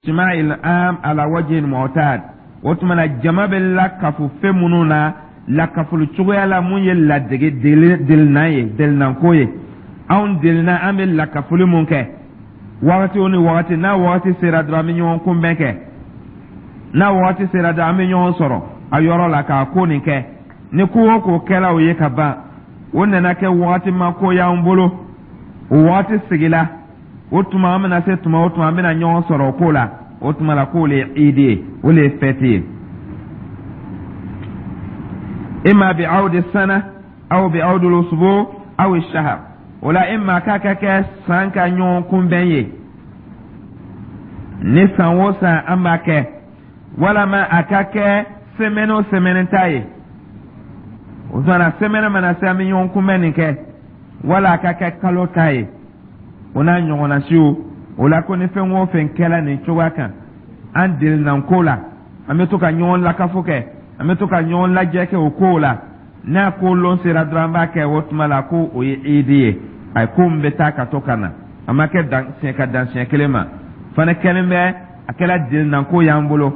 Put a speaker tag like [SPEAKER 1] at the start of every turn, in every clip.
[SPEAKER 1] Ijtima'il am ala wajhin mu'tad. O tuma na, jama bɛ lakafu fɛn minnu na, lakafoli cogoya la mun ye ladege delinan ye, delinanko ye, anw delina an bɛ lakafoli mun kɛ wagati o ni wagati, n'a wagati sera dɔrɔn, an bɛ ɲɔgɔn kunbɛn kɛ, n'a wagati sera dɔrɔn, an bɛ ɲɔgɔn sɔrɔ a yɔrɔ la k'a ko nin kɛ. Ni ko o ko kɛla o ye ka ban, o nana kɛ wagati ma ko y'an bolo, o wagati sigila, o tuma an bɛna se tuma o tuma, an bɛna ɲɔgɔn sɔrɔ o ko la, o tuma la k'o le ye idi ye, o le ye fɛti ye. Imma bi awdi sana aw bi awdi usbu aw shahar. O la, imma k'a ka kɛ san ka ɲɔgɔn kunbɛn ye, ni san o san an b'a kɛ, walama a ka kɛ semaine o semaine ta ye, o tuma na semaine mana se, an bɛ ɲɔgɔn kunbɛn nin kɛ, wala a ka kɛ kalo ta ye, o n'a ɲɔgɔnna siw. O la ko ni fɛn o fɛn kɛla nin cogoya kan, an delinanko la, an bɛ to ka ɲɔgɔn lakafo kɛ, an bɛ to ka ɲɔgɔn lajɛ kɛ o kow la, n'a ko lon sera dɔrɔn, an b'a kɛ, o tuma la ko o ye idi ye. A ye ko min bɛ taa ka to ka na, a ma kɛ dan siɲɛ ka dan siɲɛ kelen ma fana, kɛlen bɛ a kɛla delinanko y'an bolo,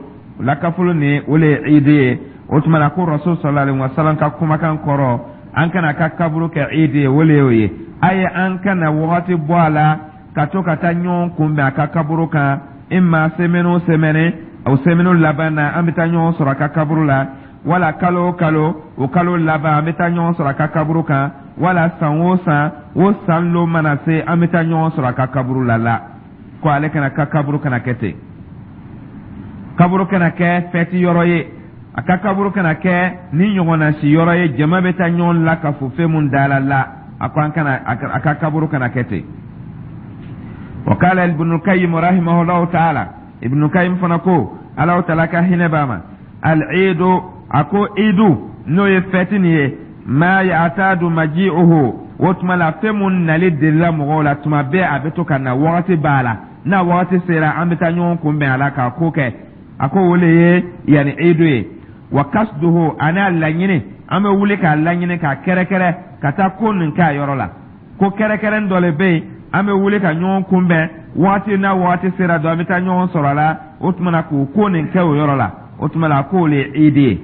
[SPEAKER 1] o lakafolo nin, o le ye idi ye. O tuma la ko Rasul sallallahu alaihi wasallam ka kumakan kɔrɔ, an kana ka kaburu kɛ idi ye, o le y'o ye. A ye an kana wagati bɔ a la ka to ka taa ɲɔgɔn kunbɛn a ka kaburu kan, imma semaine o semaine, o semaine laban na, an bɛ taa ɲɔgɔn sɔrɔ a ka kaburu la, wala kalo o kalo, o kalo laban, an bɛ taa ɲɔgɔn sɔrɔ a ka kaburu kan, wala san o san, o san lon mana se, an bɛ taa ɲɔgɔn sɔrɔ a ka kaburu la. La ko ale kana ka kaburu kana kɛ ten, kaburu kana kɛ fɛti yɔrɔ ye, a ka kaburu kana kɛ ni ɲɔgɔnna si yɔrɔ ye, jama bɛ taa ɲɔgɔn la ka fo fɛn mun da la. La a ko an kana a ka kaburu kana kɛ ten. Wa qala Ibn Qayyim rahimahullahu ta'ala, Ibn Qayyim fana ko, Alahu Taala ka hinɛ b'a ma, al-iidu, a ko iidu n'o ye fɛti nin ye, ma ya'tadu maji'uhu, o tuma la fɛn mun nali delila mɔgɔw la tuma bɛɛ, a bɛ to ka na, wagati b'a la, n'a wagati sera, an bɛ taa ɲɔgɔn kunbɛn a la k'a ko kɛ, a ko o le ye yanni iidu ye. Wa kasduhu, ani a laɲini, an bɛ wuli k'a laɲini, k'a kɛrɛkɛrɛ ka taa ko nin kɛ a yɔrɔ la, ko kɛrɛkɛrɛn dɔ le bɛ yen, an bɛ wuli ka ɲɔgɔn kunbɛn waati n'a waati sera dɔn, an bɛ taa ɲɔgɔn sɔrɔ a la, o tuma na k'o ko nin kɛ o yɔrɔ la, o tuma na k'o le ye idi ye.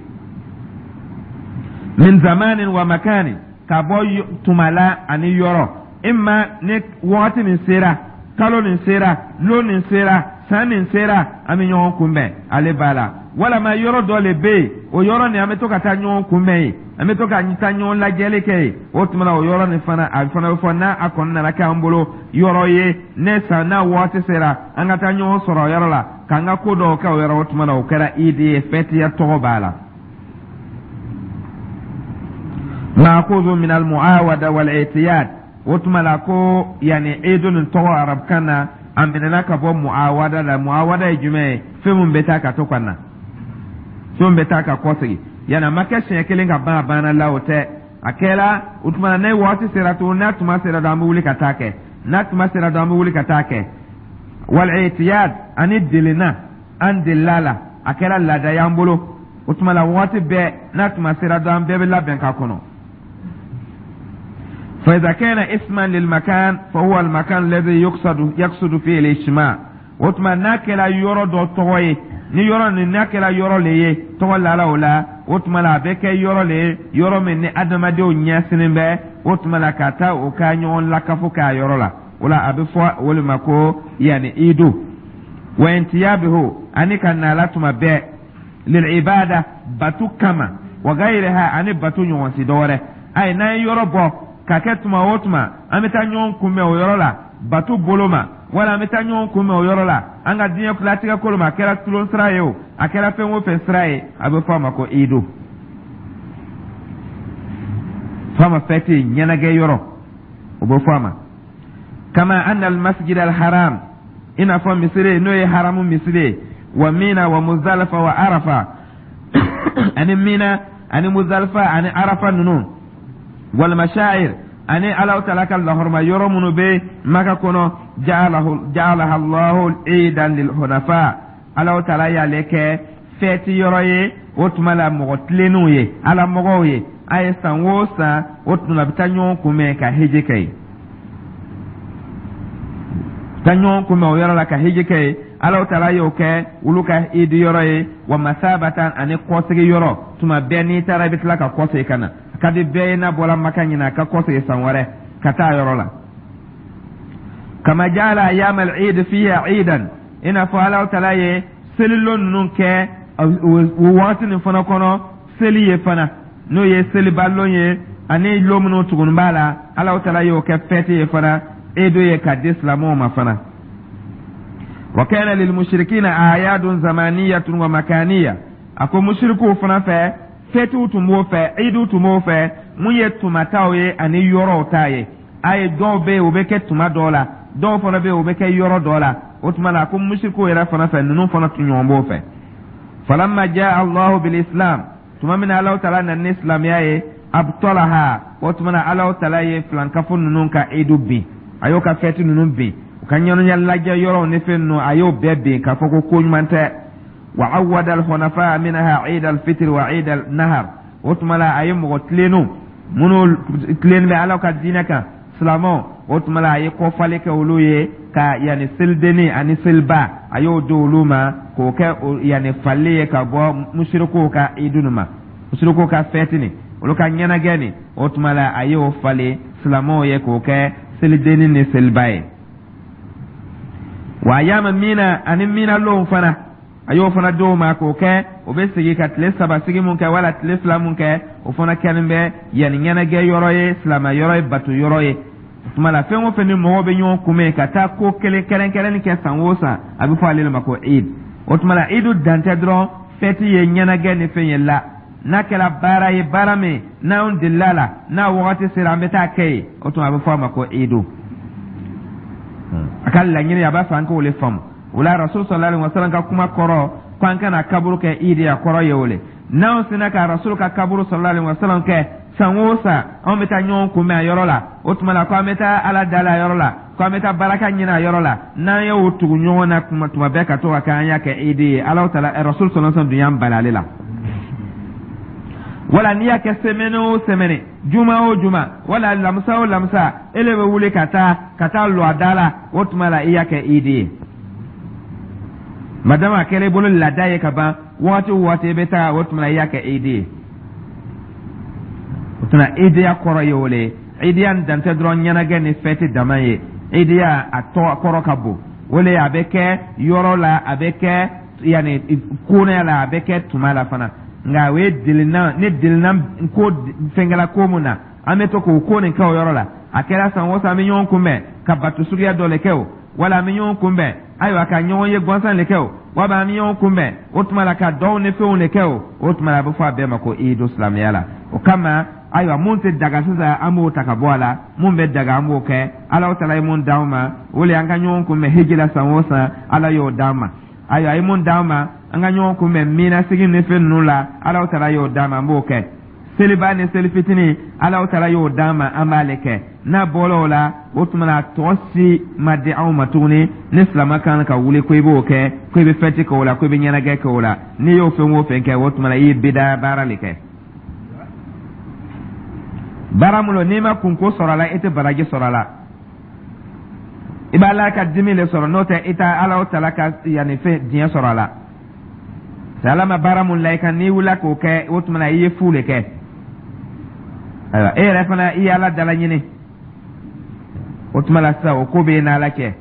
[SPEAKER 1] Min zamanin wa makani, ka bɔ tuma la ani yɔrɔ, imma ni waati nin sera, kalo nin sera, lon nin sera, san nin sera, an bɛ ɲɔgɔn kunbɛn ale b'a la, walama yɔrɔ dɔ le bɛ yen, o yɔrɔ nin, an bɛ to ka taa ɲɔgɔn kunbɛn yen, an bɛ to ka taa ɲɔgɔn lajɛli kɛ yen, o tuma na o yɔrɔ nin fana, a fana bɛ fɔ n'a a kɔni nana kɛ an bolo yɔrɔ ye, ne san n'a waati sera, an ka taa ɲɔgɔn sɔrɔ o yɔrɔ la k'an ka ko dɔw kɛ o yɔrɔ, o tuma na o kɛra idi ye, fɛtiya tɔgɔ b'a la. Maakuzu min almuawada wal i'tiyad. O tuma la ko yanni idu nin tɔgɔ arabukan na, a minɛna ka bɔ muawada la. Muawada ye jumɛn ye? Fɛn min bɛ taa ka to ka na, fɛn min bɛ taa ka kɔsegin, yanni a ma kɛ siɲɛ kelen ka ban, a banna la, o tɛ. A kɛra o tuma na, n'a waati sera tuguni, n'a tuma sera dɔrɔn, an bɛ wuli ka taa kɛ, n'a tuma sera dɔrɔn, an bɛ wuli ka taa kɛ. Wal i'tiyad, ani delina, an delila la, a kɛra laada y'an bolo, o tuma la waati bɛɛ n'a tuma sera dɔrɔn, an bɛɛ bɛ labɛn k'a kɔnɔ. فإذا كان اسما للمكان فهو المكان الذي يقصد فيه الاجتماع. O tuma n'a kɛra yɔrɔ dɔ tɔgɔ ye, ni yɔrɔ nin n'a kɛra yɔrɔ le ye, tɔgɔ lala o la, o tuma la a bɛ kɛ yɔrɔ le ye, yɔrɔ min ni adamadenw ɲɛsinen bɛ, o tuma la ka taa o ka ɲɔgɔn lakafo k'a yɔrɔ la, o la a bɛ fɔ o le ma ko yanni idu. Wa intiyabihu, ani ka na la tuma bɛɛ, lil ibada, batu kama, wa gayriha, ani batu ɲɔgɔn si dɔ wɛrɛ. Ayi, n'an ye yɔrɔ bɔ ka kɛ tuma o tuma an bɛ taa ɲɔgɔn kunbɛn o yɔrɔ la batu bolo ma, wala an bɛ taa ɲɔgɔn kunbɛn o yɔrɔ la an ka diɲɛ latigɛ kolo ma, a kɛra tulon sira ye o, a kɛra fɛn o fɛn sira ye, a bɛ fɔ a ma ko idu, fɔ a ma fɛti, ɲɛnajɛ yɔrɔ, o bɛ fɔ a ma. Kama anna almasjid alharam, i n'a fɔ misiri n'o ye haramu misiri ye, wa Mina wa Muzdalifa wa Arafa, ani Mina ani Muzdalifa ani Arafa ninnu, wal mashaa'ir, ani Alahu Taala ka lahɔrɔma yɔrɔ minnu bɛ Maka kɔnɔ, ja'alaha Allahu iidan lil hunafa, Alahu Taala y'ale kɛ fɛti yɔrɔ ye, o tuma la mɔgɔ tilennenw ye, Ala mɔgɔw ye, a ye san o san, o tuma la a bɛ taa ɲɔgɔn kunbɛn ka hiji kɛ yen, taa ɲɔgɔn kunbɛn o yɔrɔ la ka hiji kɛ yen. Alahu Taala y'o kɛ olu ka idi yɔrɔ ye, wa masabatan, ani kɔsegi yɔrɔ. Tuma bɛɛ n'i taara, i bɛ tila ka kɔsegi ka na. A ka di bɛɛ ye, n'a bɔra Maka ɲinɛ, a ka kɔsegi san wɛrɛ ka taa yɔrɔ la. Kama jaala ayam al-eid fiha eidan, i n'a fɔ Alahu Taala ye selilon ninnu kɛ o wagati nin fana kɔnɔ seli ye fana, n'o ye selibalon ye, ani lon minnu tugunni b'a la, Alahu Taala y'o kɛ fɛti ye fana, edo ye ka di silamɛw ma fana. Wa kana lil mushrikina a'yadun zamaniyatun wa makaniya. A ko musirikuw fana fɛ, fɛtiw tun b'o fɛ, idiw tun b'o fɛ, mun ye tumataw ye ani yɔrɔw ta ye. A ye dɔw bɛ yen, o bɛ kɛ tuma dɔw la, dɔw fana bɛ yen, o bɛ kɛ yɔrɔ dɔ la. O tuma la, a ko musirikuw yɛrɛ fana fɛ, ninnu fana tun ɲɔgɔn b'o fɛ. Falamma jaa Allahu bil Islam, tuma min na Alahu Taala nana ni silamɛya ye, abtalaha, o tuma na Alahu Taala ye filankafo ninnu ka idu bin, a y'o ka fɛti ninnu bin, u ka ɲɛnajɛ lajɛ yɔrɔw ni fɛn ninnu, a y'o bɛɛ bin k'a fɔ ko ko ɲuman tɛ. Wa awwada al-hunafa minha eid al-fitr wa eid al-nahar. O tuma la, a ye mɔgɔ tilennenw minnu tilennen bɛ Ala ka diinɛ kan, silamɛw, o tuma la a ye kɔfali kɛ olu ye ka yanni selidenni ani seliba, a y'o di olu ma k'o kɛ yanni fali ye ka bɔ musirikuw ka idu ma, musirikuw ka fɛti nin, olu ka ɲɛnajɛ nin. O tuma la, a y'o falen silamɛw ye k'o kɛ selidenni ni seliba ye. Wa ayama mina, ani mina lonw fana, a y'o fana d'o ma k'o kɛ o bɛ sigi ka tile 3 sigi mun kɛ wala tile 2 mun kɛ, o fana kɛlen bɛ yanni ɲɛnajɛ yɔrɔ ye, silamɛ yɔrɔ ye, bato yɔrɔ ye. O tuma la, fɛn o fɛn ni mɔgɔw bɛ ɲɔgɔn kunbɛn ka taa ko kelen kɛrɛnkɛrɛnni kɛ san o san, a bɛ fɔ ale de ma ko Eid. O tuma la, Eid dan tɛ dɔrɔn fɛti ye, ɲɛnajɛ ni fɛn ye la. N'a kɛra baara ye, baara min n'anw delila la, n'a wagati sera, an bɛ taa kɛ yen, o tuma a bɛ fɔ a ma ko Eid. A ka laɲini, a b'a fɛ an k'o le faamu. O la, Rasul sallallahu alaihi wasallam ka kuma kɔrɔ ko an kana kaburu kɛ Eid, a kɔrɔ ye o le. N'anw sina ka Rasul ka kaburu sallallahu alaihi wasallam kɛ san o san, anw bɛ taa ɲɔgɔn kunbɛn a yɔrɔ la, o tuma la ko an bɛ taa Ala dali a yɔrɔ la, ko an bɛ taa baraka ɲini a yɔrɔ la, n'an y'o tugu ɲɔgɔn na kuma tuma bɛɛ ka to ka kɛ, an y'a kɛ Eid ye. Ala taala, Rasul sallallahu alaihi wasallam dun y'an bali ale la. Wala n'i y'a kɛ semaine o semaine, juma o juma, wala lamisa o lamisa, e le bɛ wuli ka taa lɔ a da la, o tuma la i y'a kɛ Eid ye. Madama a kɛra i bolo laada ye ka ban, waati o waati i bɛ taa, o tuma la i y'a kɛ Eid ye. O tuma, Eidiya kɔrɔ ye o le ye. Eidiya dan tɛ dɔrɔn ɲɛnajɛ ni fɛti dama ye. Eidiya a tɔgɔ kɔrɔ ka bon. O le, a bɛ kɛ yɔrɔ la, a bɛ kɛ yanni konaya la, a bɛ kɛ tuma la fana. Nka o ye delina ni delina ko fɛnkɛla ko mun na, an bɛ to k'o ko nin kɛ o yɔrɔ la. A kɛra san o san, an bɛ ɲɔgɔn kunbɛn ka bato suguya dɔ le kɛ o, wala an bɛ ɲɔgɔn kunbɛn, ayiwa, ka ɲɔgɔn ye gansan le kɛ o, wala an bɛ ɲɔgɔn kunbɛn, o tuma la ka dɔw ni fɛnw le kɛ o, o tuma la a bɛ fɔ a bɛɛ ma ko iidu silamɛya la. O kama, ayiwa, mun tɛ daga sisan, an b'o ta ka bɔ a la. Mun bɛ daga, an b'o kɛ. Ala taala ye mun d'anw ma, o le an ka ɲɔgɔn kunbɛn hiji la san o san, Ala y'o d'an ma. Ayiwa, a ye mun d'an ma, an ka ɲɔgɔn kunbɛn mina sigi ni fɛn ninnu la, Ala taala y'o d'an ma, an b'o kɛ. Seliba ni seli fitinin, Ala taala y'o d'an ma, an b'ale kɛ. N'a bɔra o la, o tuma na tɔgɔ si ma di anw ma tuguni ni silamɛ kan ka wuli ko i b'o kɛ, ko i bɛ fɛti kɛ o la, ko i bɛ ɲɛnajɛ kɛ o la. N'i y'o fɛn o fɛn kɛ, o tuma na i ye bidaya baara le kɛ. Baara mun don, n'i ma kunko sɔrɔ a la, i tɛ baraji sɔrɔ a la, i b'Ala ka dimi le sɔrɔ. N'o tɛ, i tɛ Ala taala ka yanni fɛn diɲɛ sɔrɔ a la. Ala ma baara mun la i kan, n'i wulila k'o kɛ, o tuma na i ye fu le kɛ. Ayiwa, e yɛrɛ fana, i ye Ala dala ɲini. O tuma la sisan, o ko bɛ e n'Ala cɛ.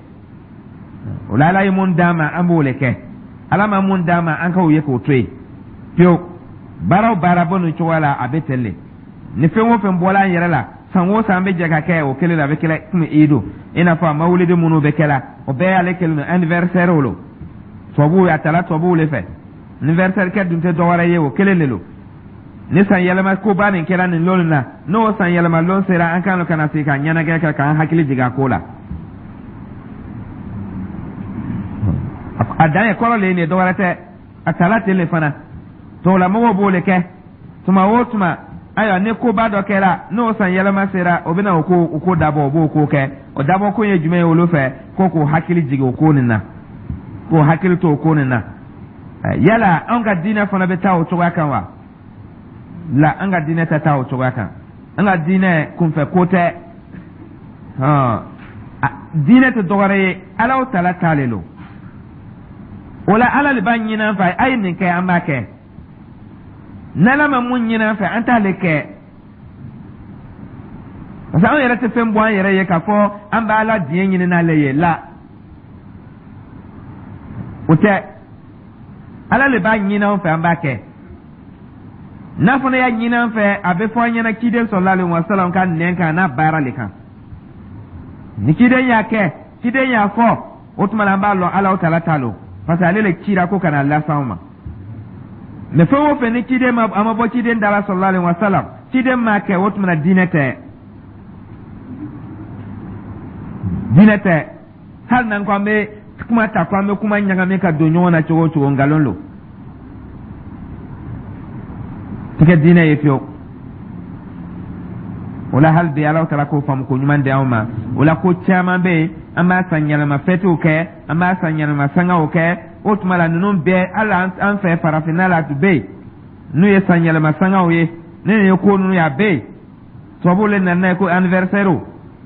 [SPEAKER 1] O la, Ala ye mun d'an ma, an b'o le kɛ. Ala ma mun d'an ma, an k'o ye k'o to yen pewu. Baara o baara bɔ nin cogoya la, a bɛ ten le. Ni fɛn o fɛn bɔla an yɛrɛ la, san o san an bɛ jɛ ka kɛ o kelen la, a bɛ kɛ komi iidu, i n'a fɔ a mawulidi minnu bɛ kɛ la, o bɛɛ y'ale kelen don. Anniversaire o lo, tubabuw a tala tubabuw le fɛ. Anniversaire kɛ dun tɛ dɔwɛrɛ ye, o kelen de lo. Ni san yɛlɛma koba nin kɛra nin lon na, n'o san yɛlɛma lon sera, an kan ka na sigi ka ɲɛnajɛ kɛ k'an hakili jigin a ko la. A dan ye kɔrɔ le ye nin ye, dɔwɛrɛ tɛ. A tala ten le fana, tubabulamɔgɔw b'o le kɛ tuma o tuma. Ayiwa, ni koba dɔ kɛra, n'o san yɛlɛma sera, o bɛna o ko dabɔ, o b'o ko kɛ. O dabɔ ko ye jumɛn ye olu fɛ? Ko k'o hakili jigin o ko nin na, k'o hakili to o ko nin na. Yala anw ka diinɛ fana bɛ taa o cogoya kan wa? La, an ka diinɛ tɛ taa o cogoya kan. An ka diinɛ kunfɛ ko tɛ. Diinɛ tɛ dɔwɛrɛ ye, Ala taala ta le lo. O la, Ala le b'a ɲini an fɛ, a ye nin kɛ, an b'a kɛ. N'Ala ma mun ɲini an fɛ, an t'ale kɛ, parce que anw yɛrɛ tɛ fɛn bɔ an yɛrɛ ye k'a fɔ an b'Ala diɲɛ ɲini n'ale ye la. O tɛ. Ala le b'a ɲini an fɛ, an b'a kɛ. N'a fana y'a ɲini an fɛ, a bɛ fɔ an ɲɛna ciden sallallahu alaihi wasallam ka nɛn kan n'a baara le kan. Ni ciden y'a kɛ, ciden y'a fɔ, o tuma la an b'a lɔn Ala tala ta lo, parce que ale le cira ko ka na las'anw ma. Mais fɛn o fɛn ni ciden ma, a ma bɔ ciden da la sallallahu alaihi wasallam, ciden m'a kɛ, o tuma na diinɛ tɛ, diinɛ tɛ. Hali n'an ko an bɛ kuma ta, ko an bɛ kuma ɲagami ka don ɲɔgɔn na cogo o cogo, nkalon lo, tɛ kɛ diinɛ ye fiyewu. O la, hali bi, Ala taala k'o faamu ko ɲuman di anw ma. O la, ko caman bɛ yen, an b'a san yɛlɛma fɛtiw kɛ, an b'a san yɛlɛma sangaw kɛ. O tuma la, ninnu bɛɛ, hali an fɛ farafinna la, a tun bɛ yen n'u ye san yɛlɛma sangaw ye. Ne ye ko ninnu ye, a bɛ yen, tubabuw le nana n'a ye ko anniversaire.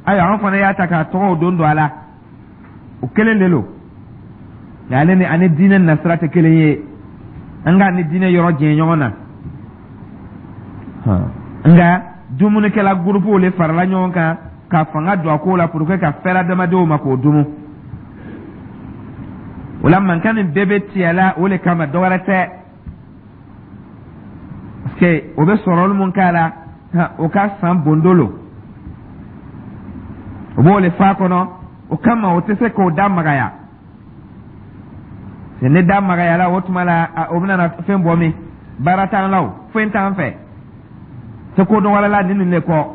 [SPEAKER 1] Ayiwa, an fana y'a ta k'a tɔgɔw don a la. O kelen de lo, nka ale ni ani diinɛ nasira tɛ kelen ye. An ka ni diinɛ yɔrɔ janya ɲɔgɔn na. Nka dumunikɛla gurupuw le farala ɲɔgɔn kan ka fanga don a ko la pour que ka fɛrɛ adamadenw ma k'o dumu. O la, mankan nin bɛɛ bɛ tigɛ la o le kama, dɔ wɛrɛ tɛ, parce que o bɛ sɔrɔli mun k'a la, o ka san bondo lo, o b'o le fa kɔnɔ. O kama, o tɛ se k'o da magaya. Ne da magayala, o tuma la o bɛna na fɛn bɔ min, baara t'an la, o foyi t'an fɛ, tɛ ko dɔ wɛrɛ la ni nin de kɔ.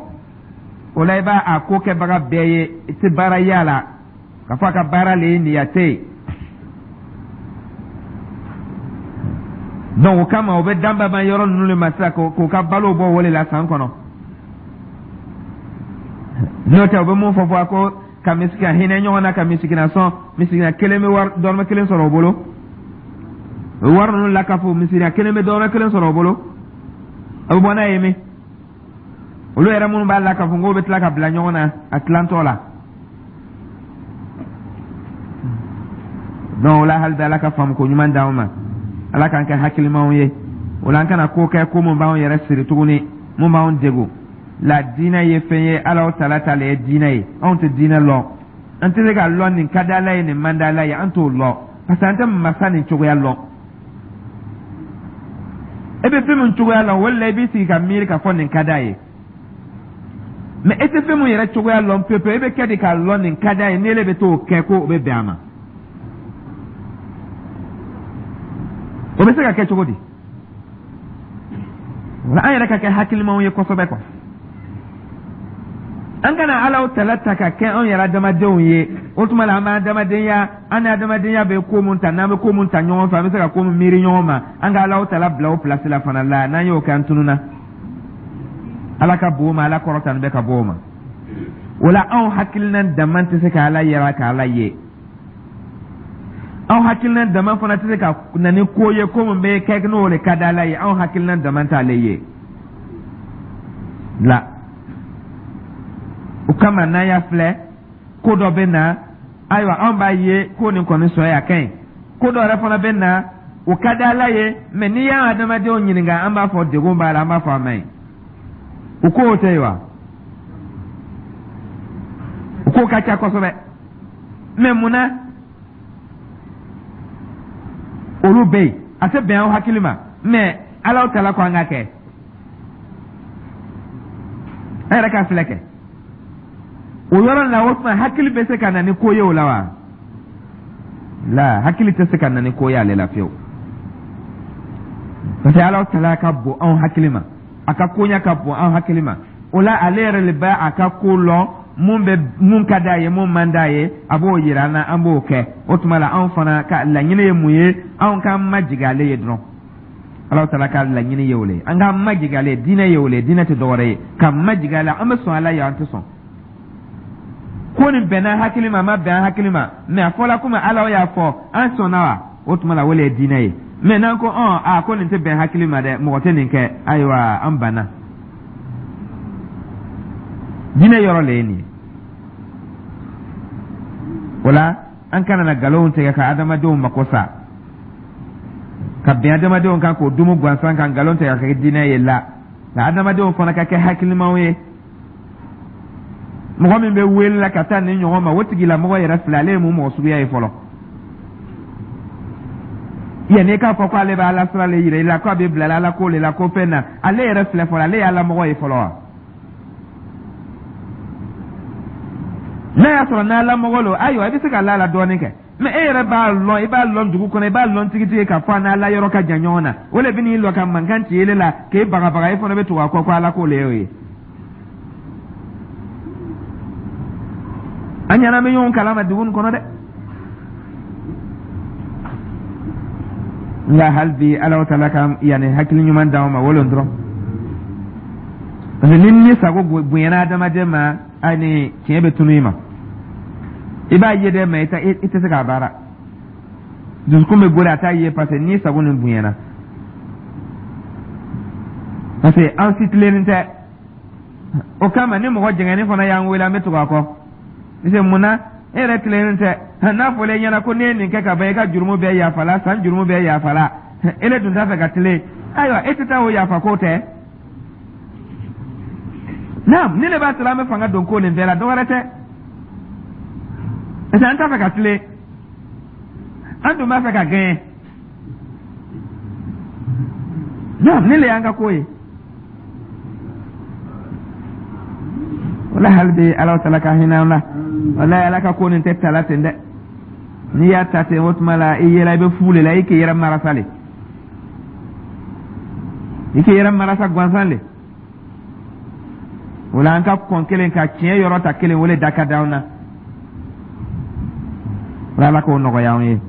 [SPEAKER 1] O la, i b'a a ko kɛbaga bɛɛ ye, i tɛ baara ye a la k'a fɔ a ka baara le ye nin ye, a tɛ yen. Donc o kama, o bɛ danbaba yɔrɔ ninnu de ma sisan k'u ka balo bɔ o de la san kɔnɔ. N'o tɛ, u bɛ mun fɔ ko ka misiki ka hinɛ ɲɔgɔn na, ka misikina sɔn, misikina kelen bɛ wari dɔrɔmɛ kelen sɔrɔ o bolo, o wari ninnu lakafo, misikina kelen bɛ dɔrɔmɛ kelen sɔrɔ o bolo, a bɛ bɔ n'a ye min? Olu yɛrɛ minnu b'a lakafo, k'o bɛ tila ka bila ɲɔgɔn na a tilantɔ la. Donc o la, hali bi, Ala ka faamu ko ɲuman d'anw ma, Ala k'an kɛ hakilimaw ye. O la, an kana ko kɛ ko mun b'anw yɛrɛ siri tuguni, mun b'anw degun la. Diinɛ ye fɛn ye, Ala tala ta le ye diinɛ ye. Anw tɛ diinɛ lɔn, an tɛ se k'a lɔn nin ka di Ala ye, nin man di Ala ye, an t'o lɔn, parce que an tɛ masa nin cogoya lɔn. E bɛ fɛn min cogoya lɔn, o de la i b'i sigi ka miiri k'a fɔ nin ka d'a ye. Mais e tɛ fɛn min yɛrɛ cogoya lɔn pewu pewu, e bɛ kɛ di k'a lɔn nin ka d'a ye, n'ele bɛ t'o kɛ ko o bɛ bɛn a ma? O bɛ se ka kɛ cogo di? Wala an yɛrɛ ka kɛ hakilimaw ye kosɛbɛ quoi. An kana Alaw tala ta ka kɛ anw yɛrɛ adamadenw ye. O tuma la, an b'an adamadenya, an ni adamadenya bɛ ko mun ta, n'an bɛ ko mun ta ɲɔgɔn fɛ, an bɛ se ka ko mun miiri ɲɔgɔn ma, an ka Alaw tala bila o pilasi la fana la. N'an y'o kɛ, an tununna. Ala ka bon ma, Ala kɔrɔtani bɛ ka bɔ o ma. O la, anw hakilina dama tɛ se ka Ala yɛrɛ ka Ala ye. Anw hakilina dama fana tɛ se ka na ni ko ye, ko min bɛ kɛ n'o de ka di Ala ye. Anw hakilina dama t'ale ye la. O kama, n'an y'a filɛ, ko dɔ bɛ na, ayiwa, anw b'a ye ko nin kɔni sɔn ye, a ka ɲi. Ko dɔ yɛrɛ fana bɛ na, o ka di Ala ye, mais n'i y'an adamadenw ɲininka, an b'a fɔ degun b'a la, an b'a fɔ a man ɲi. O kow tɛ yen wa? O ko ka ca kosɛbɛ. Mais mun na olu bɛ yen, a tɛ bɛn aw hakili ma, mais Alaw tala ko an ka kɛ? An yɛrɛ ka filɛ kɛ o yɔrɔ la. O tuma, hakili bɛ se ka na ni ko ye o la wa? La, hakili tɛ se ka na ni ko ye ale la fiyewu, parce que Alaw tala ka bon anw hakili ma, a ka koɲa ka bon anw hakili ma. O la, ale yɛrɛ le bɛ a ka ko lɔn, mun bɛ, mun ka d'a ye, mun man d'a ye, a b'o yira an na, an b'o kɛ. O tuma la, anw fana ka laɲini ye mun ye? Anw k'an majigin ale ye dɔrɔn. Ala taala ka laɲini ye o le ye, an k'an majigin ale ye. Diinɛ ye o le ye, diinɛ tɛ dɔwɛrɛ ye ka majigin ale. An bɛ sɔn Ala ye, an tɛ sɔn ko nin bɛnna hakili ma, a ma bɛn an hakili ma, mais a fɔla komi Ala y'a fɔ, an sɔnna wa? O tuma la, o le ye diinɛ ye. Mais n'an ko ɔn a ko nin tɛ bɛn hakili ma dɛ, mɔgɔ tɛ nin kɛ, ayiwa, an banna. Diinɛ yɔrɔ le ye nin ye. O la, an kana na nkalonw tigɛ ka adamadenw mako sa. Ka bin adamadenw kan k'o dumu gansan kan, nkalon tigɛ ka kɛ diinɛ ye la. Nka adamadenw fana ka kɛ hakilimaw ye. Mɔgɔ min bɛ wele la ka taa nin ɲɔgɔn ma, o tigilamɔgɔ yɛrɛ filɛ, ale ye mun mɔgɔ suguya ye fɔlɔ? Yanni i k'a fɔ ko ale bɛ Ala sira le yira i la, ko a bɛ bila Ala ko le la, ko fɛn na, ale yɛrɛ filɛ fɔlɔ, ale ye Ala mɔgɔ ye fɔlɔ wa? N'a y'a sɔrɔ n'Ala mɔgɔ lo, ayiwa, i bɛ se ka la a la dɔɔnin kɛ. Mɛ e yɛrɛ b'a lɔn, i b'a lɔn dugu kɔnɔ, i b'a lɔn tigitigi k'a fɔ a n'Ala yɔrɔ ka jan ɲɔgɔn na. O le bɛ n'i lɔ ka mankan ci ele la k'e bagabaga, e fana bɛ tugu a kɔ ko Ala ko le y'o ye. An ɲɛna bɛ ɲɔgɔn kalama dugu nin kɔnɔ dɛ. Nka hali bi, Ala taala ka yanni hakili ɲuman d'anw ma, o dɔrɔn, parce que ni ni sago bonyana adamaden ma, ani tiɲɛ bɛ tunu i ma. I b'a ye dɛ, mɛ i tɛ se k'a baara. Dusukun bɛ gori, a t'a ye, parce que ni sago nin bonyana, parce que an si tilennen tɛ. O kama, ni mɔgɔ jɛngɛni fana y'an wele, an bɛ tugu a kɔ, parce que mun na? E yɛrɛ tilennen tɛ. N'a fɔra e ɲɛna ko n'i ye nin kɛ ka ban, i ka jurumu bɛɛ yafala, san jurumu bɛɛ yafala, e le dun t'a fɛ ka tilen, ayiwa, e tɛ taa o yafa ko tɛ. Naam, nin le b'a to an bɛ fanga don ko nin bɛɛ la, dɔ wɛrɛ tɛ, parce que an t'a fɛ ka tilen, an dun b'a fɛ ka gɛɲɛ. Naam, nin le y'an ka ko ye. Wala hali bi, Ala taala ka hinɛ an na. Walayi, Ala ka ko nin tɛ tala ten dɛ. N'i y'a ta ten, o tuma la i yɛrɛ i bɛ fu le la, i k'i yɛrɛ marasa le, i k'i yɛrɛ marasa gansan le. O la, an ka kɔn kelen ka tiɲɛ yɔrɔ ta kelen, o le da ka d'an na. Ala k'o nɔgɔya an ye.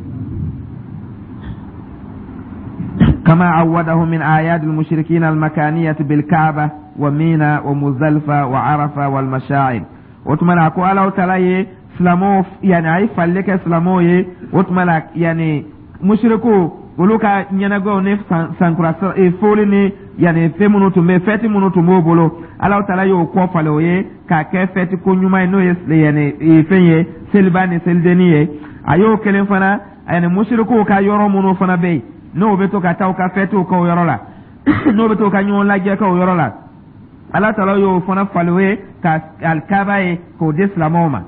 [SPEAKER 1] كما عوده من أعياد المشركين المكانية بالكعبة ومينا ومزدلفة وعرفة والمشاعر. O tuma la, ko Ala taala ye silamɛw, yani a ye fali kɛ silamɛw ye. O tuma la, yani musiriku olu ka ɲɛnagɛw ni sankura foli ni yani fɛn minnu tun bɛ, fɛti minnu tun b'o bolo, Ala taala y'o kɔ falen o ye k'a kɛ fɛti ko ɲuman ye, n'o ye yani fɛn ye, seliba ni selidenni ye. A y'o kelen fana, yani musirikuw ka yɔrɔ minnu fana bɛ yen, n'o bɛ to ka taa u ka fɛtiw kɛ o yɔrɔ la, n'o bɛ to ka ɲɔgɔn lajɛ kɛ o yɔrɔ la, Ala taala y'o fana falen o ye ka Alikaba ye k'o di silamɛw ma,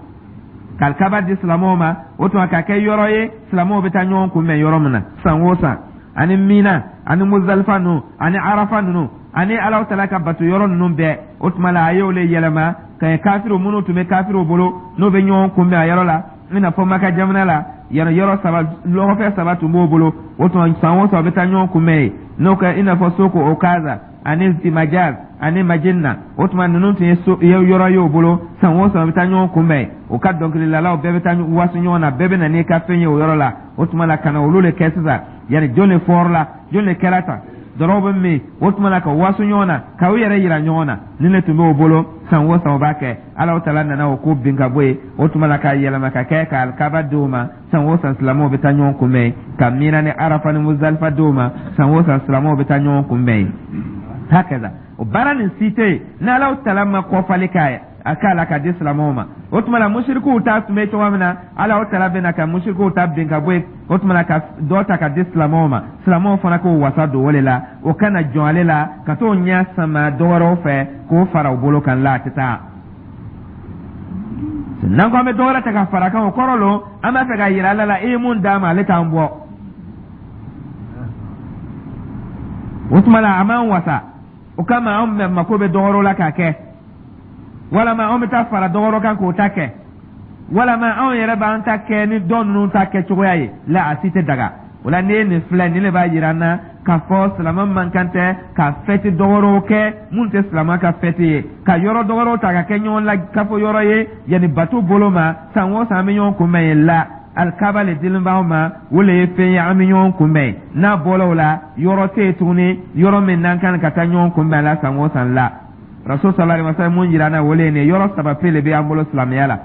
[SPEAKER 1] ka Alikaba di silamɛw ma. O tuma ka kɛ yɔrɔ ye silamɛw bɛ taa ɲɔgɔn kunbɛn yɔrɔ min na san o san, ani Mina ani Muzalifa ninnu ani Arafa ninnu ani Ala taala ka bato yɔrɔ ninnu bɛɛ. O tuma la, a y'o le yɛlɛma ka kɛ kafiriw minnu tun bɛ kafiriw bolo, n'o bɛ ɲɔgɔn kunbɛn a yɔrɔ la, i n'a fɔ Maka jamana la yɛrɛ, yɔrɔ saba, lɔgɔfɛ saba tun b'o bolo. O tuma, san o san, u bɛ taa ɲɔgɔn kunbɛn yen, n'o kɛ i n'a fɔ Soko Okaza ani Zimajaz ani Majinna. O tuma, ninnu tun ye so yɔrɔ ye o bolo, san o san u bɛ taa ɲɔgɔn kunbɛn. U ka dɔnkililalaw bɛɛ bɛ taa waso ɲɔgɔn na, bɛɛ bɛ na n'i ka fɛn ye o yɔrɔ la. O tuma la, ka na olu le kɛ sisan, yanni jɔn de fɔrɔ la, jɔn de kɛra tan, dɔrɔw bɛ min. O tuma la, ka waso ɲɔgɔn na, ka u yɛrɛ yira ɲɔgɔn na, nin de tun b'o bolo, san o san o b'a kɛ. Ala taala nana o ko bin ka bɔ yen. O tuma la, k'a yɛlɛma ka kɛ ka Alikaba di u ma, san o san silamɛw bɛ taa ɲɔgɔn kunbɛn yen, ka Mina ni Arafa ni Muzalifa di u ma, san o san silamɛw bɛ taa ɲɔgɔn kunbɛn yen. Hakaza, o baara nin si tɛ yen ni Ala taala ma kɔfali k'a ye, a k'a la ka di silamɛw ma. O tuma la, musirikuw ta tun bɛ cogoya min na, Ala taala bɛna ka musirikuw ta bin ka bɔ yen. O tuma la, ka dɔ ta ka di silamɛw ma, silamɛw fana k'o wasa don o de la, o kana jɔn ale la ka t'o ɲɛ sama dɔ wɛrɛw fɛ k'o fara u bolo kan la. A tɛ taa. N'an ko an bɛ dɔ wɛrɛ ta ka fara kan, o kɔrɔ lo an b'a fɛ ka yira Ala la i ye mun d'an ma, ale t'an bɔ. O tuma la, a m'an wasa. O kama, anw mako bɛ dɔ wɛrɛw la k'a kɛ, walama anw bɛ taa fara dɔ wɛrɛ kan k'o ta kɛ, walama anw yɛrɛ b'an ta kɛ ni dɔ ninnu ta kɛ cogoya ye la. A si tɛ daga. O la, n'i ye nin filɛ, nin de b'a yira an na k'a fɔ silamɛ man kan tɛ ka fɛti dɔ wɛrɛw kɛ mun tɛ silamɛ ka fɛti ye, ka yɔrɔ dɔ wɛrɛw ta ka kɛ ɲɔgɔn la kafo yɔrɔ ye, yanni bato bolo ma, san o san an bɛ ɲɔgɔn kunbɛn yen la. Alikaba le dilen b'anw ma, o le ye fɛn ye an bɛ ɲɔgɔn kunbɛn. N'a bɔra o la, yɔrɔ tɛ yen tuguni, yɔrɔ min n'an kan ka taa ɲɔgɔn kunbɛn la san o san la. Rasul sallallahu alaihi wasallam mun jira an na, o le ye nin ye. Yɔrɔ saba pe le bɛ an bolo silamɛya la,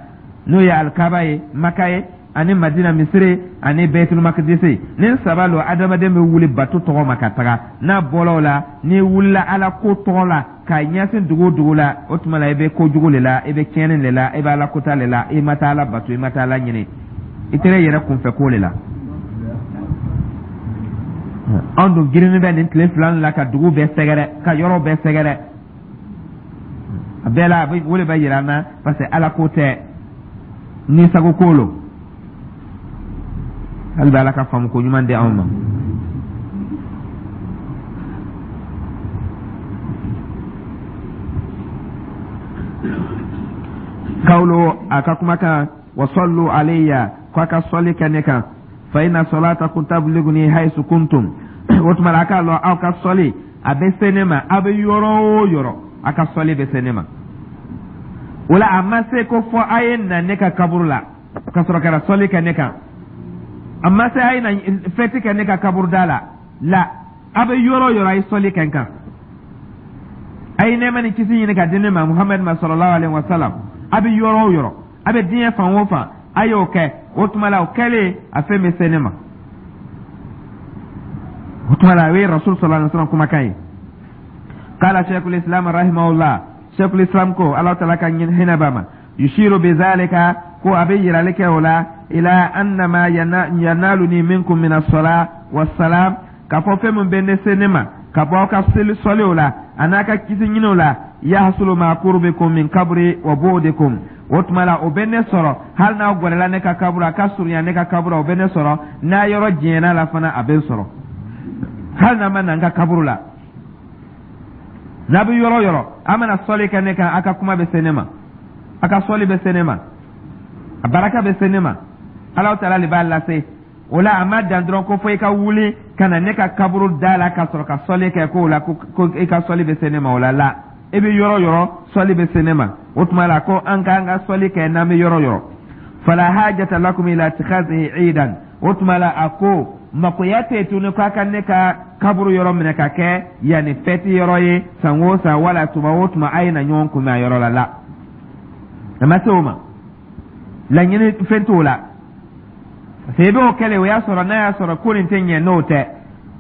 [SPEAKER 1] n'o ye Alikaba ye Maka ye, ani Madina misiri, ani Baitul Makdisi. Nin saba lo adamaden bɛ wuli bato tɔgɔ ma ka taga. N'a bɔra o la, n'i wulila Ala ko tɔgɔ la k'a ɲɛsin dugu o dugu la, o tuma la i bɛ kojugu le la, i bɛ tiɲɛni le la, i bɛ Ala kota le la, i ma taa Ala bato, i ma taa Ala ɲini, i tɛrɛ yɛrɛ kunfɛ ko le la. Anw dun girinni bɛ nin tile 2 la ka dugu bɛɛ sɛgɛrɛ, ka yɔrɔ bɛɛ sɛgɛrɛ. A bɛɛ la, a bɛ o de bɛ yira an na, parce que Ala ko tɛ, ni sago ko lo. Hali bɛ Ala ka faamu ko ɲuman di anw ma. Kawlo a ka kumakan wa sallu alayya, ko a ka sɔli kɛ ne kan, fa inna salatakum tabliguni haythu kuntum. O tuma la, a k'a lɔn aw ka sɔli a bɛ se ne ma aw bɛ yɔrɔ o yɔrɔ, a ka sɔli bɛ se ne ma. O la, a ma se ko fɔ a ye na ne ka kaburu la ka sɔrɔ ka na sɔli kɛ ne kan. A ma se a ye na fɛti kɛ ne ka kaburu da la. La, a bɛ yɔrɔ o yɔrɔ, a ye sɔli kɛ n kan, a ye nɛɛma ni kisi ɲini ka di ne ma, Muhamadu ma, sallallahu alaihi wa sallam. A bɛ yɔrɔ o yɔrɔ, a bɛ diɲɛ fan o fan, a y'o kɛ. O tuma la, o kɛlen, a fɛn bɛ se ne ma. O tuma la, o ye Rasul sallallahu alaihi wa sallam kumakan ye. Qala Sheikhul Islam rahimahullah, Sheikhul Islam ko, Ala taala ka hinɛ b'a ma, yushiru bizalika, ko a bɛ yirali kɛ o la, ila annama yanaluni minkum min as-sala was-salam, k'a fɔ fɛn min bɛ ne se ne ma ka bɔ aw ka seli sɔliw la a n'a ka kisi ɲiniw la, yahsulu ma qurbikum min kabri wa bu'dikum. O tuma la, o bɛ ne sɔrɔ hali n'aw gɛrɛla ne ka kaburu, a ka surunya ne ka kaburu, o bɛ ne sɔrɔ. N'a yɔrɔ janyana la fana, a bɛ n sɔrɔ hali n'a ma na n ka kaburu la. N'a bɛ yɔrɔ o yɔrɔ, a mana sɔli kɛ ne kan, a ka kuma bɛ se ne ma, a ka sɔli bɛ se ne ma, a baraka bɛ se ne ma. Alahu taala de b'a lase. O la, a ma dan dɔrɔn ko fo i ka wuli ka na ne ka kaburu da la ka sɔrɔ ka sɔli kɛ, k'o la ko i ka sɔli bɛ se ne ma. O la la, i bɛ yɔrɔ o yɔrɔ, sɔli bɛ se ne ma. O tuma la, ko an k'an ka sɔli kɛ n'an bɛ yɔrɔ o yɔrɔ. Fala hajata lakum ila ittikhazihi iidan. O tuma la, a ko makoya tɛ tuguni k'a ka ne ka kaburu yɔrɔ minɛ ka kɛ yanni fɛti yɔrɔ ye san o san, wala tuma o tuma a ye na ɲɔgɔn kunbɛn a yɔrɔ la. La, a ma se o ma, laɲini fɛn t'o la, parce que i b'o kɛlɛ, o y'a sɔrɔ n'a y'a sɔrɔ ko nin tɛ ɲɛ n'o tɛ,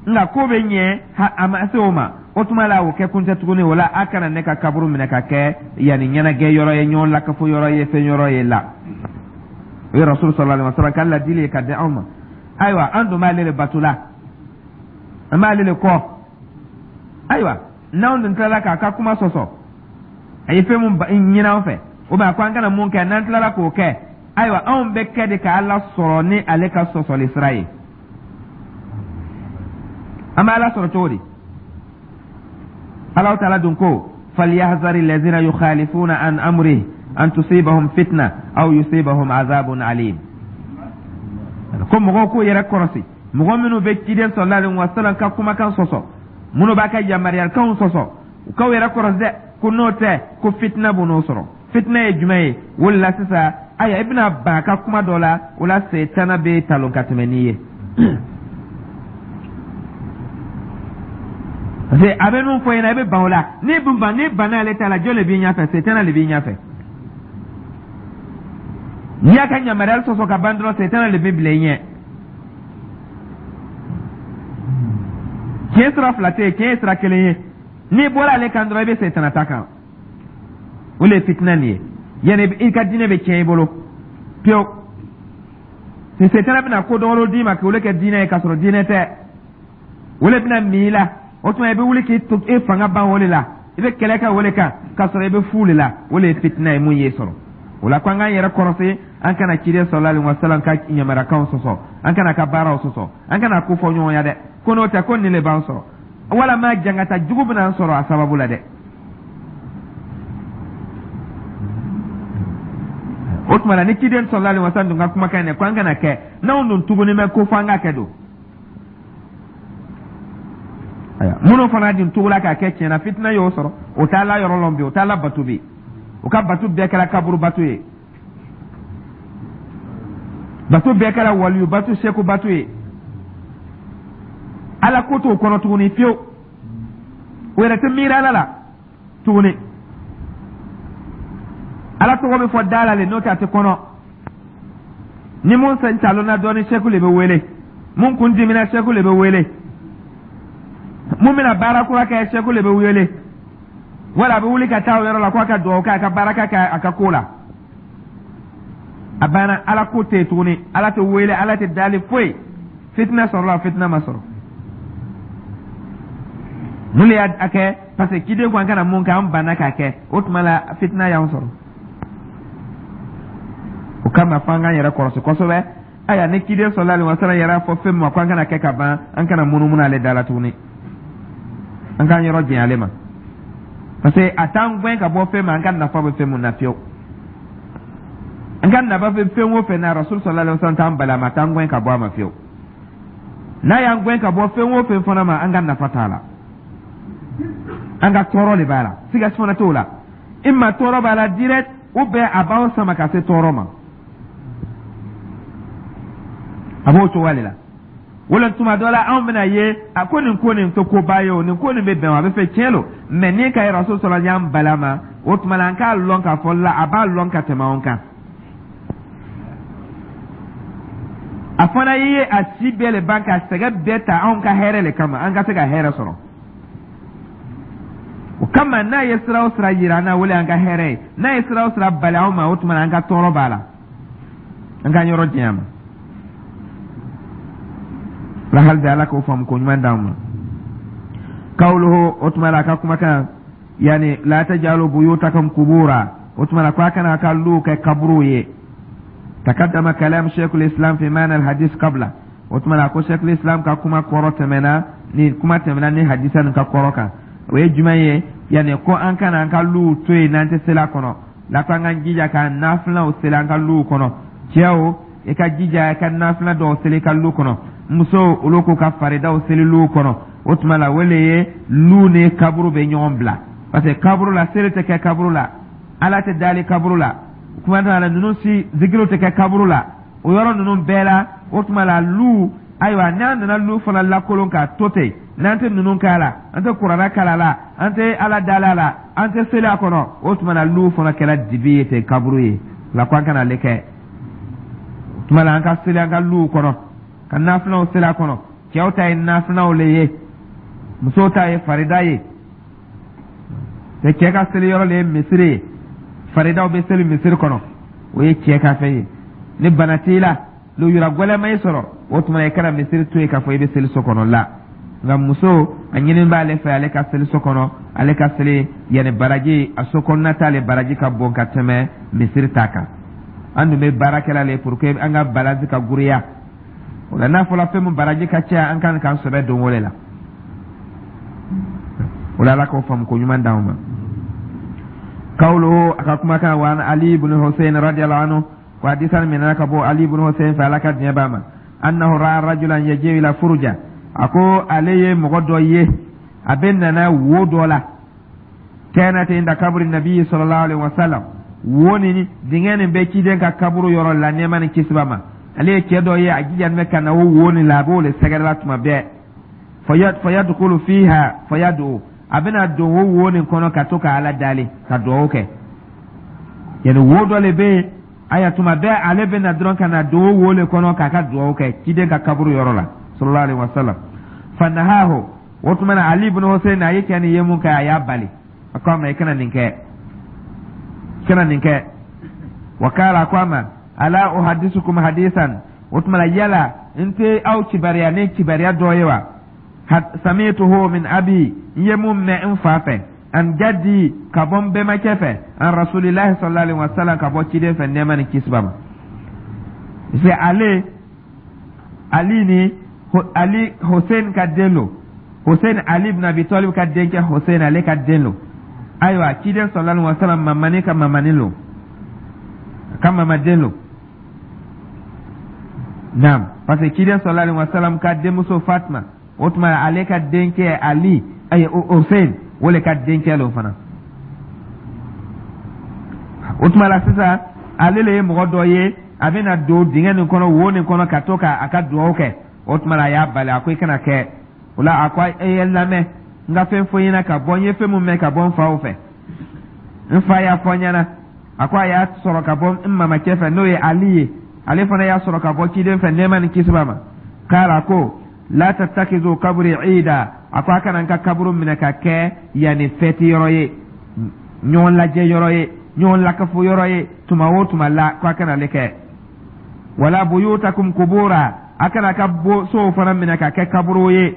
[SPEAKER 1] nka ko bɛ ɲɛ, a ma se o ma. O tuma la, o kɛ kun tɛ tuguni. O la, a kana ne ka kaburu minɛ ka kɛ yanni ɲɛnajɛ yɔrɔ ye, ɲɔgɔn lakafo yɔrɔ ye, fɛn yɔrɔ ye. La, o ye Rasul sallallahu alaihi wasallam ka ladili ye ka di anw ma. Ayiwa, an dun b'ale de bato la, an b'ale de kɔ. Ayiwa, n'anw dun tilala k'a ka kuma sɔsɔ, a ye fɛn mun ɲini an fɛ, o b'a ko an kana mun kɛ, n'an tilala k'o kɛ, ayiwa, anw bɛ kɛ de ka Ala sɔrɔ ni ale ka sɔsɔli sira ye. An bɛ Ala sɔrɔ cogo di? Alahu taala dun ko falyahzari lazina yukhalifuna an amrihi an tusibahum fitna aw yusibahum azabun alim. Ko mɔgɔw k'u yɛrɛ kɔlɔsi, mɔgɔ minnu bɛ ciden sallallahu alaihi wasallam ka kumakan sɔsɔ, minnu b'a ka yamaruyakanw sɔsɔ, u k'aw yɛrɛ kɔlɔsi dɛ, ko n'o tɛ, ko fitina b'u n'o sɔrɔ. Fitina ye jumɛn ye? O de la sisan, ayiwa, i bɛna ban a ka kuma dɔ la, o la setana bɛ talon ka tɛmɛ n'i ye, parce que a bɛ min fɔ i ɲɛna, i bɛ ban o la. N'i dun ban, n'i banna ale ta la, jɔn de b'i ɲɛfɛ? Setana de b'i ɲɛfɛ. N'i y'a ka yamaruyali sɔsɔ ka ban dɔrɔn, setana de bɛ bila i ɲɛ. Tiɲɛ sira fila tɛ yen, tiɲɛ ye sira kelen ye. N'i bɔra ale kan dɔrɔn, i bɛ setana ta kan. O de ye fitina nin ye. Yanni i ka diinɛ bɛ tiɲɛ i bolo pewu. Ni setana bɛna ko dɔwɛrɛw d'i ma k'olu kɛ diinɛ ye k'a sɔrɔ diinɛ tɛ, o de bɛna min i la. O tuma i bɛ wuli k'i to e fanga ban o de la, i bɛ kɛlɛ kɛ o de kan k'a sɔrɔ i bɛ fu de la. O de ye fitina ye mun ye sɔrɔ. O la, ko an k'an yɛrɛ kɔlɔsi, an kana ciden sallallahu alaihi wasallam ka yamaruyakanw sɔsɔ, an kana ka baaraw sɔsɔ, an kana ko fɔ ɲɔgɔn ya dɛ, ko n'o tɛ, ko nin de b'an sɔrɔ, walama jangata jugu bɛna an sɔrɔ a sababu la dɛ. O tuma la, ni ciden sallallahu alaihi wasallam dun ka kumakan in dɛ, ko an kana kɛ, n'anw dun tuguni bɛ ko fo an ka kɛ don. Ayiwa, minnu fana dun tugula k'a kɛ tiɲɛna, fitina y'o sɔrɔ. O t'a la yɔrɔ lɔn bi, o t'a la bato bi, o ka bato bɛɛ kɛra kaburu bato ye, bato bɛɛ kɛra waliyu bato, seku bato ye. Ala ko t'o kɔnɔ tuguni fiyewu. O yɛrɛ tɛ miiri Ala la tuguni. Ala tɔgɔ bɛ fɔ da la le, n'o tɛ a tɛ kɔnɔ. Ni mun sen talonna dɔɔni, seku le bɛ wele. Mun kun dimina, seku le bɛ wele. Mun bɛna baara kura kɛ, seku le bɛ wele. Wala a bɛ wuli ka taa o yɔrɔ la k'a ka dugawu kɛ a ka baara ka kɛ a ka ko la. A banna, Ala ko tɛ yen tuguni, Ala tɛ wele, Ala tɛ dali, foyi. Fitina sɔrɔla, fitina ma sɔrɔ. Mun le y'a kɛ? Parce que ciden ko an kana mun kɛ, an banna k'a kɛ. O tuma la, fitina y'an sɔrɔ. O kama, f'an k'an yɛrɛ kɔlɔsi kosɛbɛ. Ayiwa, ni ciden sallallahu alaihi wasallam yɛrɛ fɔ fɛn min ma ko an kana kɛ ka ban, an kana munumunu ale da la tuguni, an k'an yɔrɔ janya ale ma, parce que a t'an gɛn ka bɔ fɛn ma an ka nafa bɛ fɛn mun na fiyewu. An ka nafa bɛ fɛn o fɛn na, Rasul sallallahu alaihi wasallam t'an bali a ma, a t'an gɛn ka bɔ a ma fiyewu. N'a y'an gɛn ka bɔ fɛn o fɛn fana ma, an ka nafa t'a la, an ka tɔɔrɔ de b'a la, siga fana t'o la. Imma tɔɔrɔ b'a la direct, ou bien a b'an sama ka se tɔɔrɔ ma. A b'o cogoya de la. Wala tuma dɔ la, anw bɛna ye a ko nin ko nin tɛ koba ye o, nin ko nin bɛ bɛn o, a bɛ fɛ tiɲɛ don. Mɛ ni ka Rasul sallallahu y'an bali a ma, o tuma la, an k'a lɔn k'a fɔ la a b'a lɔn ka tɛmɛ anw kan. A fana ye a si bɛɛ le ban ka sɛgɛn bɛɛ ta anw ka hɛrɛ le kama, an ka se ka hɛrɛ sɔrɔ. O kama, n'a ye sira o sira yira an na, o le y'an ka hɛrɛ ye. N'a ye sira o sira bali anw ma, o tuma na, an ka tɔɔrɔ b'a la, an k'an yɔrɔ janya ma la. Hali bi, Ala k'o faamu ko ɲuman d'an ma. Kawuluhu, o tuma la, a ka kumakan, yani la tajalu buyutakum kubura, o tuma la, ko a kana a ka luw kɛ kaburuw ye. Takaddama kalam sheikhul islam fi maana al hadis qabla. O tuma la, ko sheikhul islam ka kuma kɔrɔ tɛmɛna ni kuma tɛmɛna ni hadisa nin ka kɔrɔ kan. O ye jumɛn ye? Yani ko an kana an ka luw to yen n'an tɛ seli a kɔnɔ la, ko an k'an jija ka nafilaw seli an ka luw kɔnɔ. Cɛw, i ka jija i ka nafila dɔw seli i ka lu kɔnɔ. Musow, olu k'u ka faridaw seli luw kɔnɔ. O tuma la, o le ye lu ni kaburu bɛ ɲɔgɔn bila, parce que kaburu la, seli tɛ kɛ kaburu la, Ala tɛ dali kaburu la, kuma t'a la, ninnu si zikiriw tɛ kɛ kaburu la, o yɔrɔ ninnu bɛɛ la. O tuma la, lu, ayiwa, n'an nana lu fana lakolon k'a to ten, n'an tɛ ninnu k'a la, an tɛ kuranɛ kalan la, an tɛ Ala dala la, an tɛ seli a kɔnɔ, o tuma la, lu fana kɛra dibi ye ten, kaburu ye la, ko an kana ale kɛ. O tuma la, an ka seli an ka luw kɔnɔ, ka nafilaw seli a kɔnɔ. Cɛw ta ye nafilaw le ye, musow ta ye farida ye. Cɛ ka seli yɔrɔ le ye misiri ye, faridaw bɛ seli misiri kɔnɔ, o ye cɛ ka fɛn ye. Ni bana t'i la, lujura gɛlɛn ma i sɔrɔ, o tuma i kana misiri to yen k'a fɔ i bɛ seli so kɔnɔ la. Nka muso, a ɲini b'ale fɛ ale ka seli so kɔnɔ, ale ka seli yanni baraji a so kɔnɔna t'ale baraji ka bon ka tɛmɛ misiri ta kan. An dun bɛ baara kɛla le pour que an ka balance ka giriya. O la, n'a fɔra fɛn min baraji ka caya, an kan k'an sɛbɛ don o de la. O la, Ala k'o faamu ko ɲuman d'anw ma. Kawuluhu, a ka kumakan, wa an Ali ibn Hussein radiyallahu anhu, ko hadisa minɛna ka bɔ Ali ibn Hussein fɛ, Ala ka diɲɛ b'a ma, annahu ra'a rajulan yaji'u ila furuja, a ko ale ye mɔgɔ dɔ ye, a bɛ nana wo dɔ la, kanat inda kaburi nabi sallallahu alaihi wasallam, wo ni dingɛ nin bɛ ciden ka kaburu yɔrɔ la, nɛɛma ni kisi b'a ma. Ale ye cɛ dɔ ye, a jijani bɛ ka na o wo nin la, a b'o le sɛgɛrɛ la tuma bɛɛ. Fayadukulu fiha fayadu, a bɛna don o wo nin kɔnɔ ka to ka Ala dali, ka dugawu kɛ. Yani wo dɔ le bɛ yen, aya, tuma bɛɛ ale bɛ na dɔrɔn ka na don o wo le kɔnɔ k'a ka dugawu kɛ ciden ka kaburu yɔrɔ la sallallahu alaihi wasallam. Fanahahu, o tuma na, Ali ibn Hussein, a ye cɛ nin ye mun kɛ, a y'a bali, a ko a ma: i kana nin kɛ, i kana nin kɛ. Wa kala, a ko a ma: ala uhadisukum hadisan, o tuma la, yala n tɛ aw kibariya ni kibariya dɔ ye wa? Samituhu min abi, n ye mun mɛn n fa fɛ, an jaddi, ka bɔ n bɛnbakɛ fɛ, an rasulillahi sallallahu alaihi wasallam, ka bɔ ciden fɛ, nɛɛma ni kisi b'a ma. C'est ale Ali ni Ali Hussein ka den lo, Hussein, Ali ibn Abi Talib ka denkɛ Hussein, ale ka den lo. Ayiwa, ciden sallallahu alaihi wasallam mamani ka mamani lo, ka mamaden lo. Naam, parce que ciden sallallahu alaihi wasallam ka denmuso Fatma, o tuma ale ka denkɛ Ali, ayi, Hussein, o le ka denkɛ lo fana. O tuma la sisan, ale le ye mɔgɔ dɔ ye, a bɛna don dingɛ nin kɔnɔ, wo nin kɔnɔ, ka to ka a ka dugawu kɛ. O tuma la, a y'a bali, a ko i kana kɛ o la. A ko e ye lamɛn, n ka fɛn fɔ n ɲɛna ka bɔ n ye fɛn mun mɛn ka bɔ n faw fɛ. N fa y'a fɔ n ɲɛna, a ko a y'a sɔrɔ ka bɔ n mamacɛ fɛ, n'o ye Ali ye, ale fana y'a sɔrɔ ka bɔ ciden fɛ, nɛɛma ni kisi b'a ma. Kala, ko la tattakizu kaburi ida, a ko a kana n ka kaburu minɛ ka kɛ yanni fɛti yɔrɔ ye, ɲɔgɔn lajɛ yɔrɔ ye, ɲɔgɔn lakafo yɔrɔ ye tuma o tuma la, ko a kana ale kɛ. Wala buyutakum kubura, a kana ka sow fana minɛ ka kɛ kaburu ye.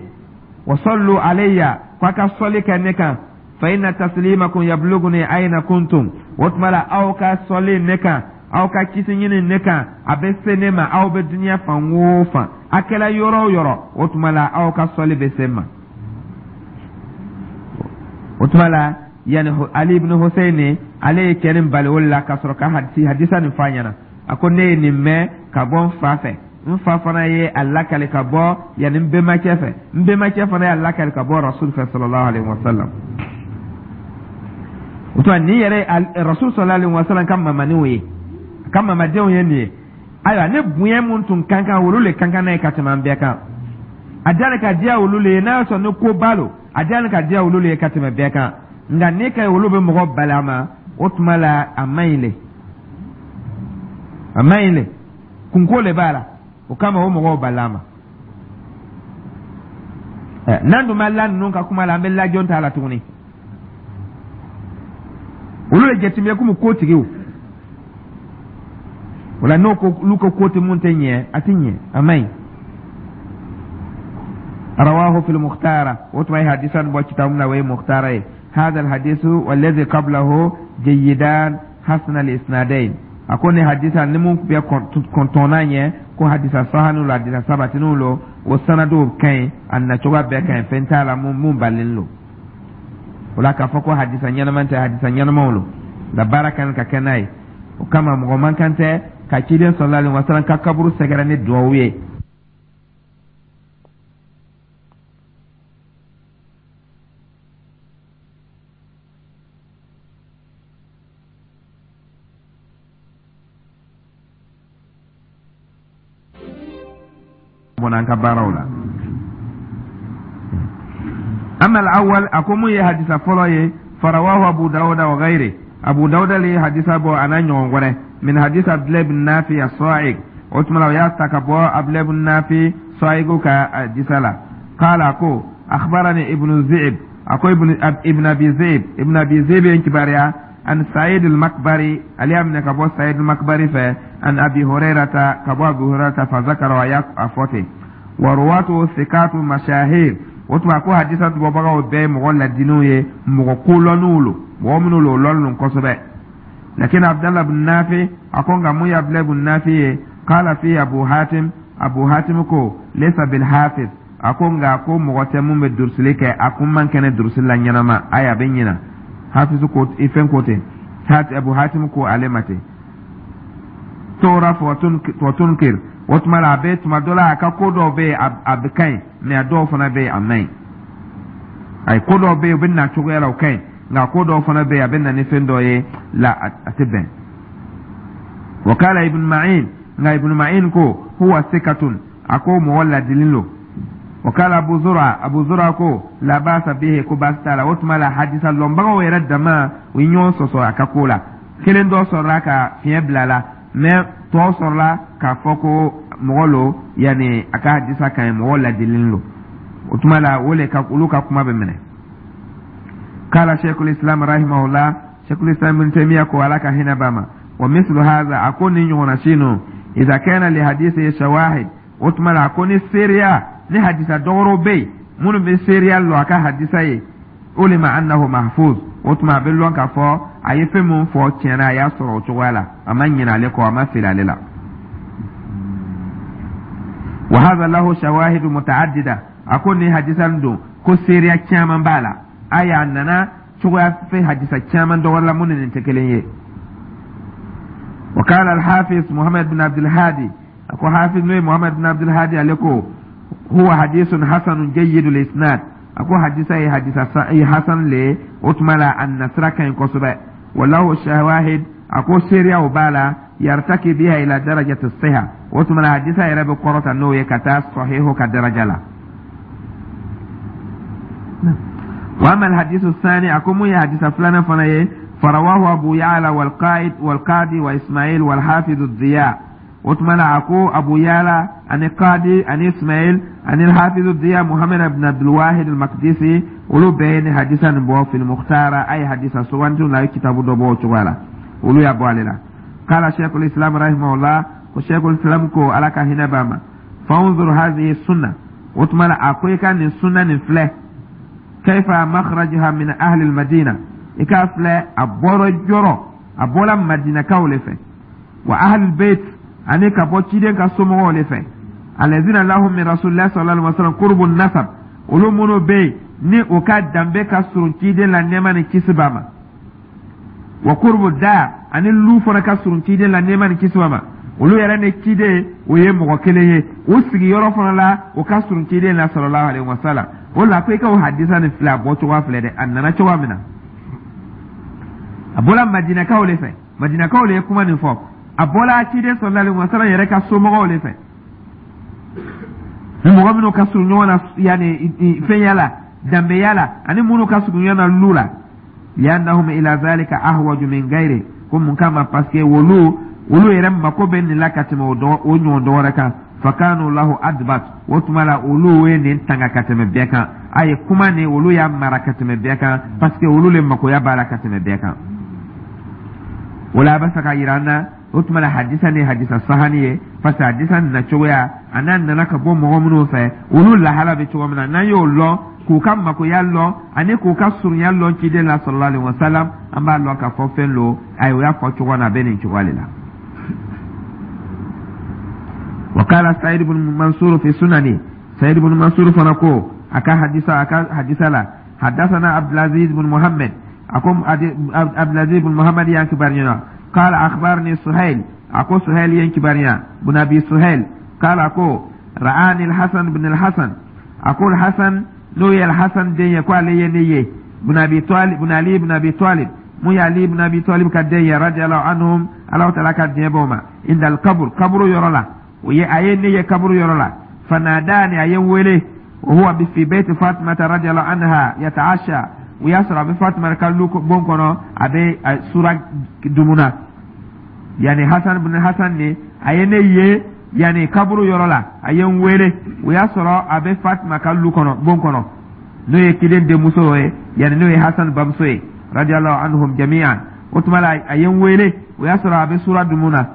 [SPEAKER 1] Wa sallu alayya, ko ko a ka sɔli kɛ ne kan, fa inna taslimakum yabluguni ayna kuntum. O tuma la, aw ka sɔli ne kan, aw ka kisi ɲini ne kan, a bɛ se ne ma aw bɛ duniya fan o fan, a kɛla yɔrɔ o yɔrɔ. O tuma la, aw ka sɔli bɛ se n ma. O tuma la, yani Ali ibn Hussein, ale ye cɛ nin bali o la ka sɔrɔ ka hadisa nin f'a ɲɛna. A ko ne ye nin mɛn ka bɔ n fa fɛ, n fa fana ye a lakali ka bɔ yanni n bɛnbakɛ fɛ, n bɛnbakɛ fana y'a lakali ka bɔ Rasul fɛ sallallahu alaihi wa sallam. O tuma, nin yɛrɛ ye Rasul sallallahu alaihi wa sallam ka mamaniw ye, a ka mamadenw ye nin ye. Ayiwa, ne bonya mun tun kan kan, olu le kan kan n'a ye ka tɛmɛ an bɛɛ kan. A diyara ka diya olu le ye, n'a y'a sɔrɔ ni ko ba lo, a diyara ka diya olu le ye ka tɛmɛ bɛɛ kan. Nka ne ka olu bɛ mɔgɔ bali a ma, o tuma la a man ɲi le, a man ɲi le, kunko le b'a la. O kama o mɔgɔw bali a ma. N'an dun ma la ninnu ka kuma la, an bɛ la jɔn t'a la tuguni? Olu le jateminɛ komi kotigiw. O la, n'o ko olu ko tɛ mun tɛ ɲɛ, a tɛ ɲɛ, a man ɲi. Rawahu fil mukhtara. O tuma ye hadisa bɔ kitabu min na, o ye mukhtara ye. Hada alhadisu walladhi qablahu jayidan hasana al-isnadain. A ko ni hadisa ni mun bɛ kɔntɔnna ɲɛ ko hadisa sahanu lo, hadisa sabatiniw lo, o sanadiw ka ɲi, a nacogoya bɛɛ ka ɲi, fɛn t'a la mun balilen lo. O la, k'a fɔ ko hadisa ɲɛnama tɛ, hadisa ɲɛnamaw lo nka baara kan ka kɛ n'a ye. O kama, mɔgɔ man kan tɛ ka ciden sallallahu alaihi wasallam ka kaburu sɛgɛrɛ ni duwawu ye. Bɔnna an ka baaraw la. Amma al-awwal, a ko mun ye hadisa fɔlɔ ye, farawahu Abu Dawuda wa ghayri. Abu Dawuda le ye hadisa bɔ a n'a ɲɔgɔn wɛrɛ, min hadisa Abdulayi bin Nafi as-Sa'ig. O tuma la, o y'a ta ka bɔ Abdulayi bin Nafi Sa'igu ka hadisa la. Qala, ko akhbarani Ibnu Zi'ib, a ko Ibn Abi Zi'ib, Ibn Abi Zi'ib ye n kibaruya, an Sa'id al-Makbari, ale y'a minɛ ka bɔ Sa'id al-Makbari fɛ, an Abi Hurairata, ka bɔ Abi Hurairata, fa zakara, a y'a fɔ ten. Wa ruwatu sikatu mashahir. O tuma, ko hadisa bɔbagaw bɛɛ ye mɔgɔ ladinniw ye, mɔgɔ kolɔnniw lo, mɔgɔ minnu lo, o lɔnnen lo kosɛbɛ. Lakin Abdallah bin Nafi, a ko nka mun ye Abdallah bin Nafi ye, qala fi Abu Hatim, Abu Hatim ko laysa bil hafiz. A ko nka ko mɔgɔ tɛ mun bɛ durusili kɛ, a kun man kɛnɛ durusili la ɲɛnama, ayi, a bɛ ɲina. Hafizu ko i fɛn ko ten, Abu Hatim ko ale ma ten. Tora wa tunkir. O tuma la, a bɛ tuma dɔ la, a ka ko dɔw bɛ yen, a bɛ ka ɲi, mɛ a dɔw fana bɛ yen, a man ɲi. Ayi, ko dɔw bɛ yen, u bɛ na cogoya la, o ka ɲi, nka ko dɔw fana bɛ yen, a bɛ na ni fɛn dɔ ye la, a tɛ bɛn. Wa kala Ibn Ma'in, nka Ibn Ma'in ko huwa sikatun, a ko mɔgɔ ladilin lo. Wa kala Abu Zura, Abu Zura ko la basa bihi, ko baasi t'a la. O tuma la, hadisa lɔnbagaw yɛrɛ dama, u ye ɲɔgɔn sɔsɔ a ka ko la. Kelen dɔ sɔrɔla ka fiɲɛ bila la, mɛ tɔ sɔrɔla k'a fɔ ko mɔgɔ lo, yanni a ka hadisa ka ɲi, mɔgɔ ladilin lo. O tuma la, o le ka olu ka kuma bɛ minɛ. Kala Sheikhul Islam rahimahullah, Sheikhul Islam Ibn Taymiyyah ko, Ala ka hinɛ b'a ma, wa mislu hadha, a ko ni ɲɔgɔnna si ninnu, idha kana li hadisi shawahid. O tuma la, a ko ni seereya ni hadisa dɔgɔrɔw bɛ yen minnu bɛ seereya lɔ a ka hadisa ye, ulima annahu mahfuz. O tuma, a bɛ lɔn k'a fɔ a ye fɛn min fɔ tiɲɛna, a y'a sɔrɔ o cogoya la, a ma ɲinɛ ale kɔ, a ma fili ale la. Wa hadha lahu shawahidu mutaaddida. A ko ni hadisa nin don ko seereya caman b'a la, a y'a nana cogoya fɛ hadisa caman dɔ wɛrɛ la mun ni nin tɛ kelen ye. Wa qala al-hafiz Muhammad bin Abdul Hadi, a ko hafiz n'o ye Muhammad bin Abdul Hadi, ale ko huwa hadisun hasanun jayyidul isnad. A ko hadisa ye hadisa ye hasan le ye. O tuma la, a nasira ka ɲi kosɛbɛ. Walahu shawahid, a ko seereyaw b'a la, yartaki biha ila darajati siha. O tuma la, hadisa yɛrɛ bɛ kɔrɔta n'o ye ka taa sahihu ka daraja la. Wa amma alhadisu sani, a ko mun ye hadisa filanan fana ye, farawahu Abu Ya'la wal Qaid wal Qadi wa Ismail wal Hafiz Diya. O tuma la, a ko Abu Ya'la ani Qadi ani Ismail ani Hafiz Diya Muhammad ibn Abdul Wahid al-Maqdisi, olu bɛɛ ye ni hadisa nin bɔ fil Mukhtara. A ye hadisa sugantiw la, a ye kitabu dɔ bɔ o cogoya la, olu y'a bɔ ale la. Kala Sheikhul Islam rahimahullah, ko Sheikhul Islam ko, Ala ka hinɛ b'a ma, fanzur hadhihi sunna. O tuma la, a ko i ka nin sunna nin filɛ. Kaifa makhrajaha min ahli almadina, i k'a filɛ a bɔra yɔrɔ, a bɔra Madinakaw le fɛ, wa ahli bait, ani ka bɔ ciden ka somɔgɔw le fɛ, alazina lahum min rasulillahi sallallahu alaihi wasallam qurbu nasab, olu minnu bɛ yen ni u ka danbe ka surun ciden la, nɛɛma ni kisi b'a ma, wa qurbu dar, ani lu fana ka surun ciden la, nɛɛma ni kisi b'a ma. Olu yɛrɛ ni ciden o ye mɔgɔ kelen ye, u sigiyɔrɔ fana la, o ka surun ciden la sallallahu alaihi wasallam. O la ko i ka o hadisa nin filɛ, a bɔ cogoya filɛ dɛ, a nana cogoya min na, a bɔra Madinakaw le fɛ, Madinakaw le ye kuma nin fɔ, a bɔra ciden sallallahu alaihi wasallam yɛrɛ ka somɔgɔw le fɛ, ni mɔgɔ minnu ka surun ɲɔgɔn na yanni fɛnya la, danbeya la, ani minnu ka surun ɲɔgɔn na lu la. Liannahum ila zalika ahwaju min gairi, ko mun kama? Parce que olu yɛrɛ mako bɛ nin la ka tɛmɛ o dɔ o ɲɔgɔn dɔ wɛrɛ kan. Fakanu lahu adbat, o tuma la olu ye nin tanga ka tɛmɛ bɛɛ kan. A ye kuma nin, olu y'a mara ka tɛmɛ bɛɛ kan, parce que olu le makoya b'a la ka tɛmɛ bɛɛ kan. O la a bɛ fɛ ka yira an na, o tuma la hadisa ni hadisa sahani ye, parce que hadisa nana cogoya a n'a nana ka bɔ mɔgɔ minnu fɛ, olu lahala bɛ cogo min na, n'an y'o lɔn, k'u ka makoya lɔn ani k'u ka surunya lɔn ciden la sallallahu alaihi wasallam, an b'a lɔn k'a fɔ fɛn lo, ayi, o y'a fɔ cogo na, a bɛ nin cogoya de la. وقال سعيد بن منصور في سننه، سعيد بن منصور fana ko a ka hadisa la: حدثنا عبد العزيز بن محمد، a ko عبد العزيز بن محمد y'an kibaruya، قال أخبرني سهيل، a ko سهيل ye n kibaruya، بن أبي سهيل، قال، a ko رآني الحسن بن الحسن، a ko الحسن n'o ye الحسن den ye, ko ale ye ne ye، بن أبي طالب، بن علي بن أبي طالب، mun ye Ali بن أبي طالب ka den ye، رضي الله عنهم، Ala taala ka diɲɛ b'o ma، عند القبر، kaburu yɔrɔ la, o ye a ye ne ye kaburu yɔrɔ la. فناداني، a ye n wele، وهو في بيت فاطمة رضي الله عنها يتعشى، o y'a sɔrɔ a bɛ Fatima ka lu bon kɔnɔ, a bɛ sura dumuna. Yani Hasan bin Hasan ni a ye ne ye yani kaburu yɔrɔ la, a ye n wele, o y'a sɔrɔ a bɛ Fatima ka lu kɔnɔ, bon kɔnɔ, n'o ye ciden denmuso ye, yani n'o ye Hasan bamuso ye، رضي الله عنهم جميعا. O tuma la a ye n wele, o y'a sɔrɔ a bɛ sura dumuna.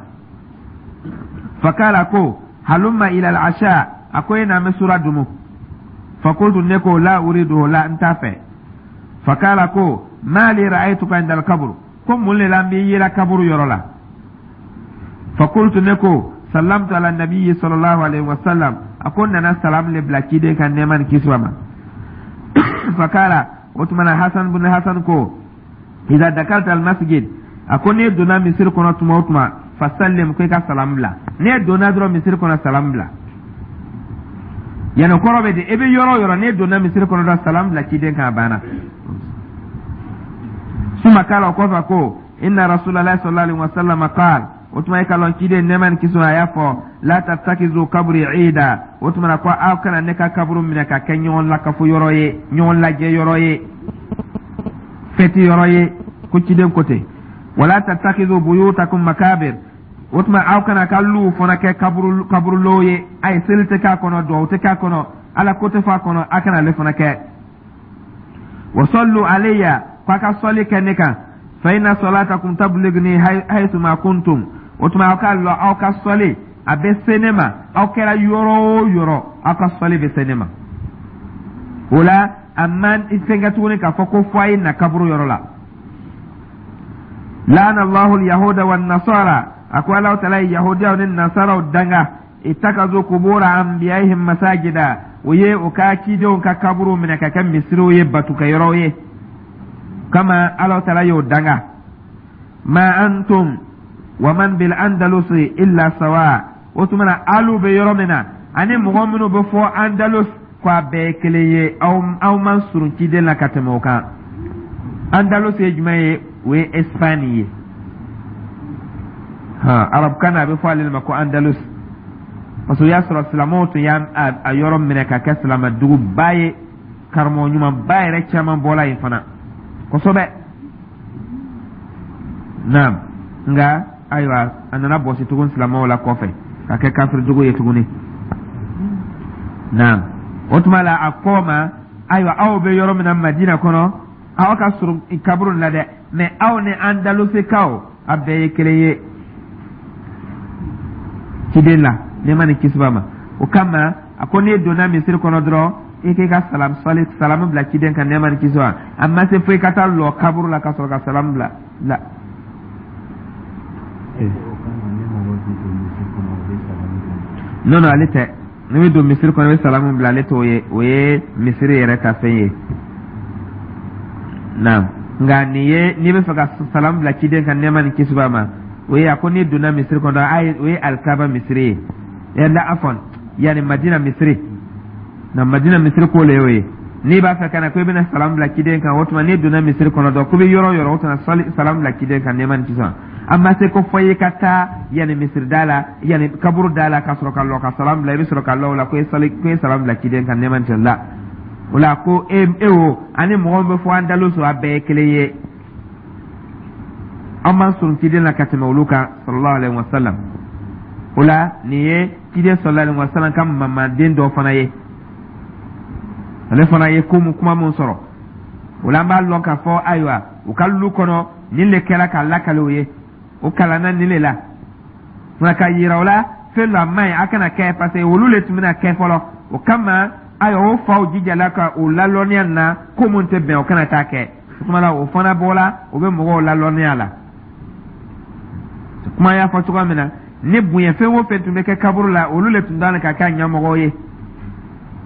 [SPEAKER 1] فقال، ko هلم إلى العشاء، a ko e n'an bɛ sura dumu. فقلت، ne ko لا أريده، la, n t'a fɛ. فقال، ko ما لي رأيتك عند القبر، ko mun le la n b'i yela kaburu yɔrɔ la? فقلت، ne ko سلمت على النبي صلى الله عليه وسلم، a ko n nana salam le bila ciden kan, nɛɛma ni kisi ma. فقال، o tuma na Hasan bin Hasan ko إذا دخلت المسجد، a ko n'e donna misiri kɔnɔ tuma o tuma، فسلم، ko i ka salam bila. N'e donna dɔrɔn misiri kɔnɔ, salam bila. Yani kɔrɔ bɛ di, e bɛ yɔrɔ o yɔrɔ, n'e donna misiri kɔnɔ dɔrɔn, salam bila ciden kan, a banna. ثم قال، o kɔfɛ ko إن رسول الله صلى الله عليه وسلم قال، o tuma e ka lɔn ciden, nɛɛma ni kisi, a y'a fɔ لا تتخذوا قبري عيدا، o tuma na ko aw kana ne ka kaburu minɛ ka kɛ ɲɔgɔn lakafo yɔrɔ ye, ɲɔgɔn lajɛ yɔrɔ ye, fɛti yɔrɔ ye, ko ciden ko ten. ولا تتخذوا بيوتكم مقابر، o tuma aw kana ka luw fana kɛ kaburu kaburulow ye, a ye seli tɛ k'a kɔnɔ, duwawu tɛ k'a kɔnɔ, Ala ko tɛ fɔ a kɔnɔ, a kana ale fana kɛ. وصلوا علي، ko a ka sɔli kɛ ne kan، فإن صلاتكم تبلغني حيثما كنتم، o tuma aw ka lɔ, aw ka sɔli a bɛ se ne ma, aw kɛra yɔrɔ o yɔrɔ, aw ka sɔli bɛ se ne ma. O la a man fɛn tuguni k'a fɔ ko fo a ye na kaburu yɔrɔ la. لعن الله اليهود والنصارى، a ko Ala taala ye yahudiyaw ni nasaraw danga، اتخذوا قبور أنبيائهم مساجدا، o ye o ka cidenw ka kaburu minɛ ka kɛ misiriw ye, batukɛyɔrɔw ye kama, Ala taala y'o danga. ما أنتم ومن بالأندلس إلا سواء، o tuma na alu bɛ yɔrɔ min na ani mɔgɔ minnu bɛ fɔ Andalus, ko a bɛɛ ye kelen ye, aw man surun ciden la ka tɛmɛ o kan. Andalus ye jumɛn ye? O ye Espagne ye. Han, arabukan na a bɛ fɔ ale ma ko Andalus, parce que o y'a sɔrɔ silamɛw tun y'a a yɔrɔ minɛ ka kɛ silamɛduguba ye, karamɔgɔ ɲumanba yɛrɛ caman bɔla yen fana kosɛbɛ. Naam, nka ayiwa, a nana bɔsi tugun silamɛw la kɔfɛ ka kɛ kafiridugu ye tuguni. Naam, o tuma la a kɔ ma, ayiwa, aw bɛ yɔrɔ min na Madina kɔnɔ, aw ka surun kaburu la dɛ, mɛ aw ni Andalusikaw a bɛɛ ye kelen ye ciden la, nɛɛma ni kisi b'a ma. O kama a ko n'i donna misiri kɔnɔ dɔrɔn I k'i ka salam sali salamu bila ciden kan, nɛɛma ni kisi ma. A ma se fo i ka taa lɔ kaburu la ka sɔrɔ ka salamu bila la. Non, non, ale tɛ. N'i bɛ don misiri kɔnɔ, i bɛ salamu bila, ale t'o ye. O ye misiri yɛrɛ ka fɛn ye. Naam, nka nin ye, n'i bɛ fɛ ka salamu bila ciden kan, nɛɛma ni kisi b'a ma, o ye a ko n'i donna misiri kɔnɔ, a ye, o ye Alikaba misiri ye, yala afɔn, yanni Madina misiri na, Madina misiri ko le y'o ye. N'i b'a fɛ ka na ko i bɛna salamu bila ciden kan, o tuma n'i donna misiri kɔnɔ dɔrɔn, ko bɛ yɔrɔ o yɔrɔ, o tuma salamu bila ciden kan, nɛɛma ni kisi ma. A ma se ko fɔ i ka taa yanni misiri da la, yanni kaburu da la, ka sɔrɔ ka lɔ ka salamu bila. I bɛ sɔrɔ ka lɔ o la ko i ye salamu bila ciden kan, nɛɛma ni kisi la. O la ko e o ani mɔgɔ min bɛ fɔ Andalus, a bɛɛ ye kelen ye. An b'an surun ciden la ka tɛmɛ olu kan, sallallahu alaihi wa sallam. O la nin ye ciden sallallahu alaihi wa sallam ka mamaden dɔ fana ye. Ale fana ye ko mun, kuma mun sɔrɔ o la, an b'a lɔn k'a fɔ ayiwa, u ka lu kɔnɔ, nin le kɛra k'a lakale u ye. O kalanna nin le la nka ka yira o la fɛn dɔ a man ɲi, a kana kɛ, parce que olu le tun bɛna kɛ fɔlɔ. O kama ayiwa, o faw jijala ka o lalɔnniya na ko mun tɛ bɛn, o kana taa kɛ. O tuma la, o fana bɔla, o bɛ mɔgɔw lalɔnniya la. Kuma y'a fɔ cogoya min na, ni bonya fɛn o fɛn tun bɛ kɛ kaburu la, olu le tun dalen ka kɛ a ɲɛmɔgɔw ye.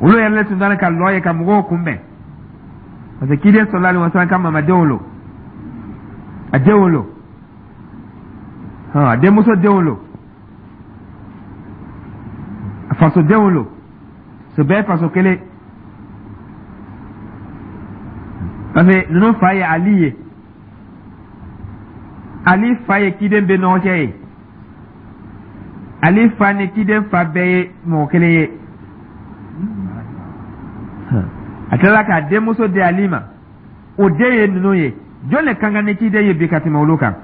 [SPEAKER 1] Olu yɛrɛ le tun dalen ka lɔ ye ka mɔgɔw kunbɛn, parce que ciden sallallahu alaihi wasallam ka mamadenw lo, a denw lo, a denmuso denw lo, a faso denw lo, so bɛɛ faso kelen, parce que ninnu fa ye Ali ye. Ali fa ye ciden bɛnɔgɔcɛ ye. Ali fa ni ciden fa bɛɛ ye mɔgɔ kelen ye. A tilala k'a denmuso di Ali ma, o den ye ninnu ye. Jɔn de ka kan ni ciden ye bi ka tɛmɛ olu kan?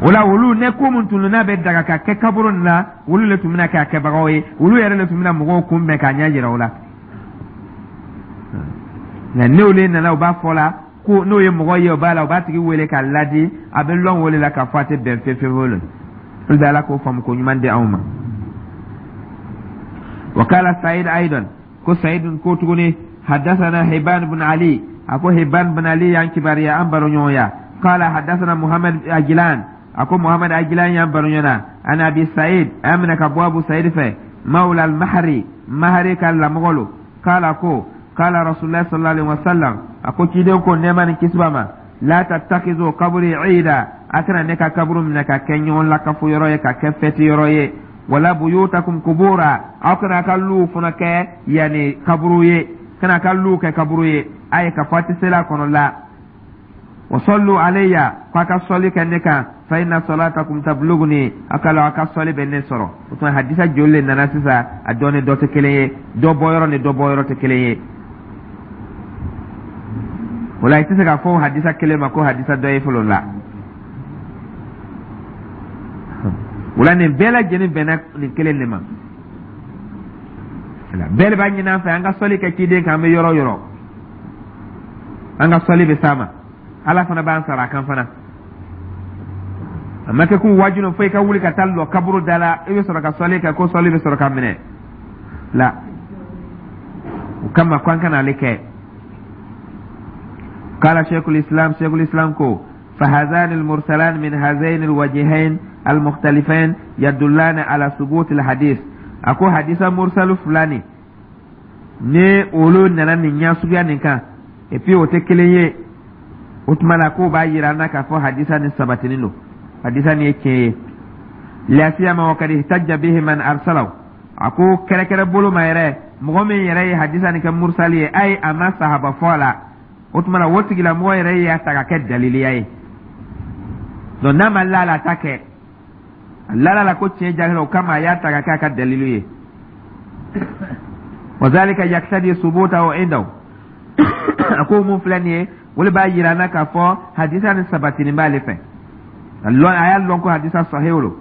[SPEAKER 1] O la, olu ne ko mun tun n'a bɛ daga ka kɛ kaburu nin na, olu le tun bɛna kɛ a kɛbagaw ye. Olu yɛrɛ le tun bɛna mɔgɔw kunbɛn k'a ɲɛ jira o la. Nka n'olu nana, u b'a fɔ la ko n'o ye mɔgɔ ye, o b'a la, u b'a tigi wele k'a ladi. A bɛ lɔn o le la k'a fɔ a tɛ bɛn fewu fewu. Le olu bɛ Ala k'o faamu ko ɲuman di anw ma. Wa kala Sayid aidan, ko Sayid ko tuguni, hadasana Hiban bin Ali, a ko Hiban bin Ali y'an kibaruya, an baroɲɔgɔnya. Kala hadasana Muhammad Ajilan, a ko Muhammad Ajilan y'an baroɲɔgɔnya, an Abi Sayid, a y'a minɛ ka bɔ Abu Sayid fɛ, mawla al Mahari, Mahari ka lamɔgɔ lo. Kala ko kala Rasulullah sallallahu alaihi wasallam, a ko ciden ko, nɛɛma ni kisi b'a ma, la tattakizu kaburi ida, a kana ne ka kaburu minɛ ka kɛ ɲɔgɔn lakafo yɔrɔ ye, ka kɛ fɛti yɔrɔ ye, wala buyutakum kubura, aw kana ka luw fana kɛ yani kaburu ye, kana ka luw kɛ kaburu ye. A ye ka fɔ a tɛ seli a kɔnɔ la. Wa sallu alayya, ko a ka sɔli kɛ ne kan, fa inna salatakum tabluguni, a ka la a ka sɔli bɛ ne sɔrɔ. O tuma hadisa joli le nana sisan? A dɔ ni dɔ tɛ kelen ye, dɔ bɔyɔrɔ ni dɔ bɔyɔrɔ tɛ kelen ye. O la i tɛ se k'a fɔ hadisa kelen ma ko hadisa dɔ ye fɔlɔ la. O la nin bɛɛ lajɛlen bɛnna nin kelen de ma. Bɛɛ de b'a ɲini an fɛ an ka sɔli kɛ ciden kan. An bɛ yɔrɔ o yɔrɔ, an ka sɔli bɛ s'a ma, Ala fana b'an sara a kan fana. A ma kɛ ko wajibi fo i ka wuli ka taa lɔ kaburu da la, i bɛ sɔrɔ ka sɔli kɛ, ko sɔli bɛ sɔrɔ ka minɛ la. O kama ko an kana ale kɛ. Kala Sheikhul Islam, Sheikhul Islam ko فهذان المرسلان من هذين الوجهين المختلفين يدلان على ثبوت الحديث. أكو حديث مرسل فلاني ni olu nana nin ɲɛ suguya nin kan, et puis o tɛ kelen ye, o tuma la k'o b'a yira an na k'a fɔ hadisa nin sabatinin don, hadisa nin ye tiɲɛ ye. Lasiyama wa kad ihtajja bihi man arsalahu, a ko kɛrɛkɛrɛ bolo ma yɛrɛ, mɔgɔ min yɛrɛ ye hadisa nin kɛ mursali ye, ayi, a ma sahaba fɔ a la, o tuma la o tigilamɔgɔ yɛrɛ y'a ta ka kɛ daliliya ye. Donc n'a ma la la ta kɛ, a lala la ko tiɲɛ jahila, o kama a y'a ta ka kɛ a ka dalilu ye. Wa zalika yaktadi subutahu indahu, a ko mun filɛ nin ye, o de b'a yira an na k'a fɔ hadisa nin sabatinin b'ale fɛ. A y'a lɔn ko hadisa sahihu lo.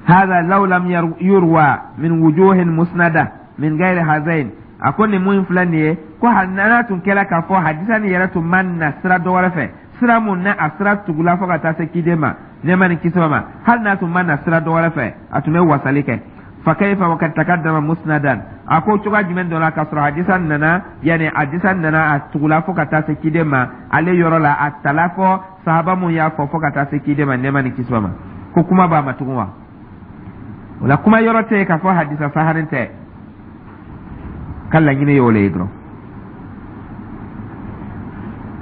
[SPEAKER 1] Hada law lam yurwa min wujuhin musnada min gairi hazain, a ko nin mun filɛ nin ye, ko hali n'a tun kɛra k'a fɔ hadisa nin yɛrɛ tun ma na sira dɔ wɛrɛ fɛ, sira mun na a sira tugula fo ka taa se ciden ma, nɛɛma ni kisi ma, hali n'a tun ma na sira dɔ wɛrɛ fɛ, a tun bɛ wasali kɛ. Fa kayfa wa kad taqaddama musnadan? A ko cogoya jumɛn dɔ la k'a sɔrɔ hadisa nana, yani hadisa nana a tugula fo ka taa se ciden ma, ale yɔrɔ la a tala fɔ sahaba mun y'a fɔ fo ka taa se ciden ma, nɛɛma ni kisi b'a ma, ko kuma b'a ma tugun wa? O la kuma yɔrɔ tɛ yen k'a fɔ hadisa sahanin tɛ ka laɲini ye o le ye dɔrɔn.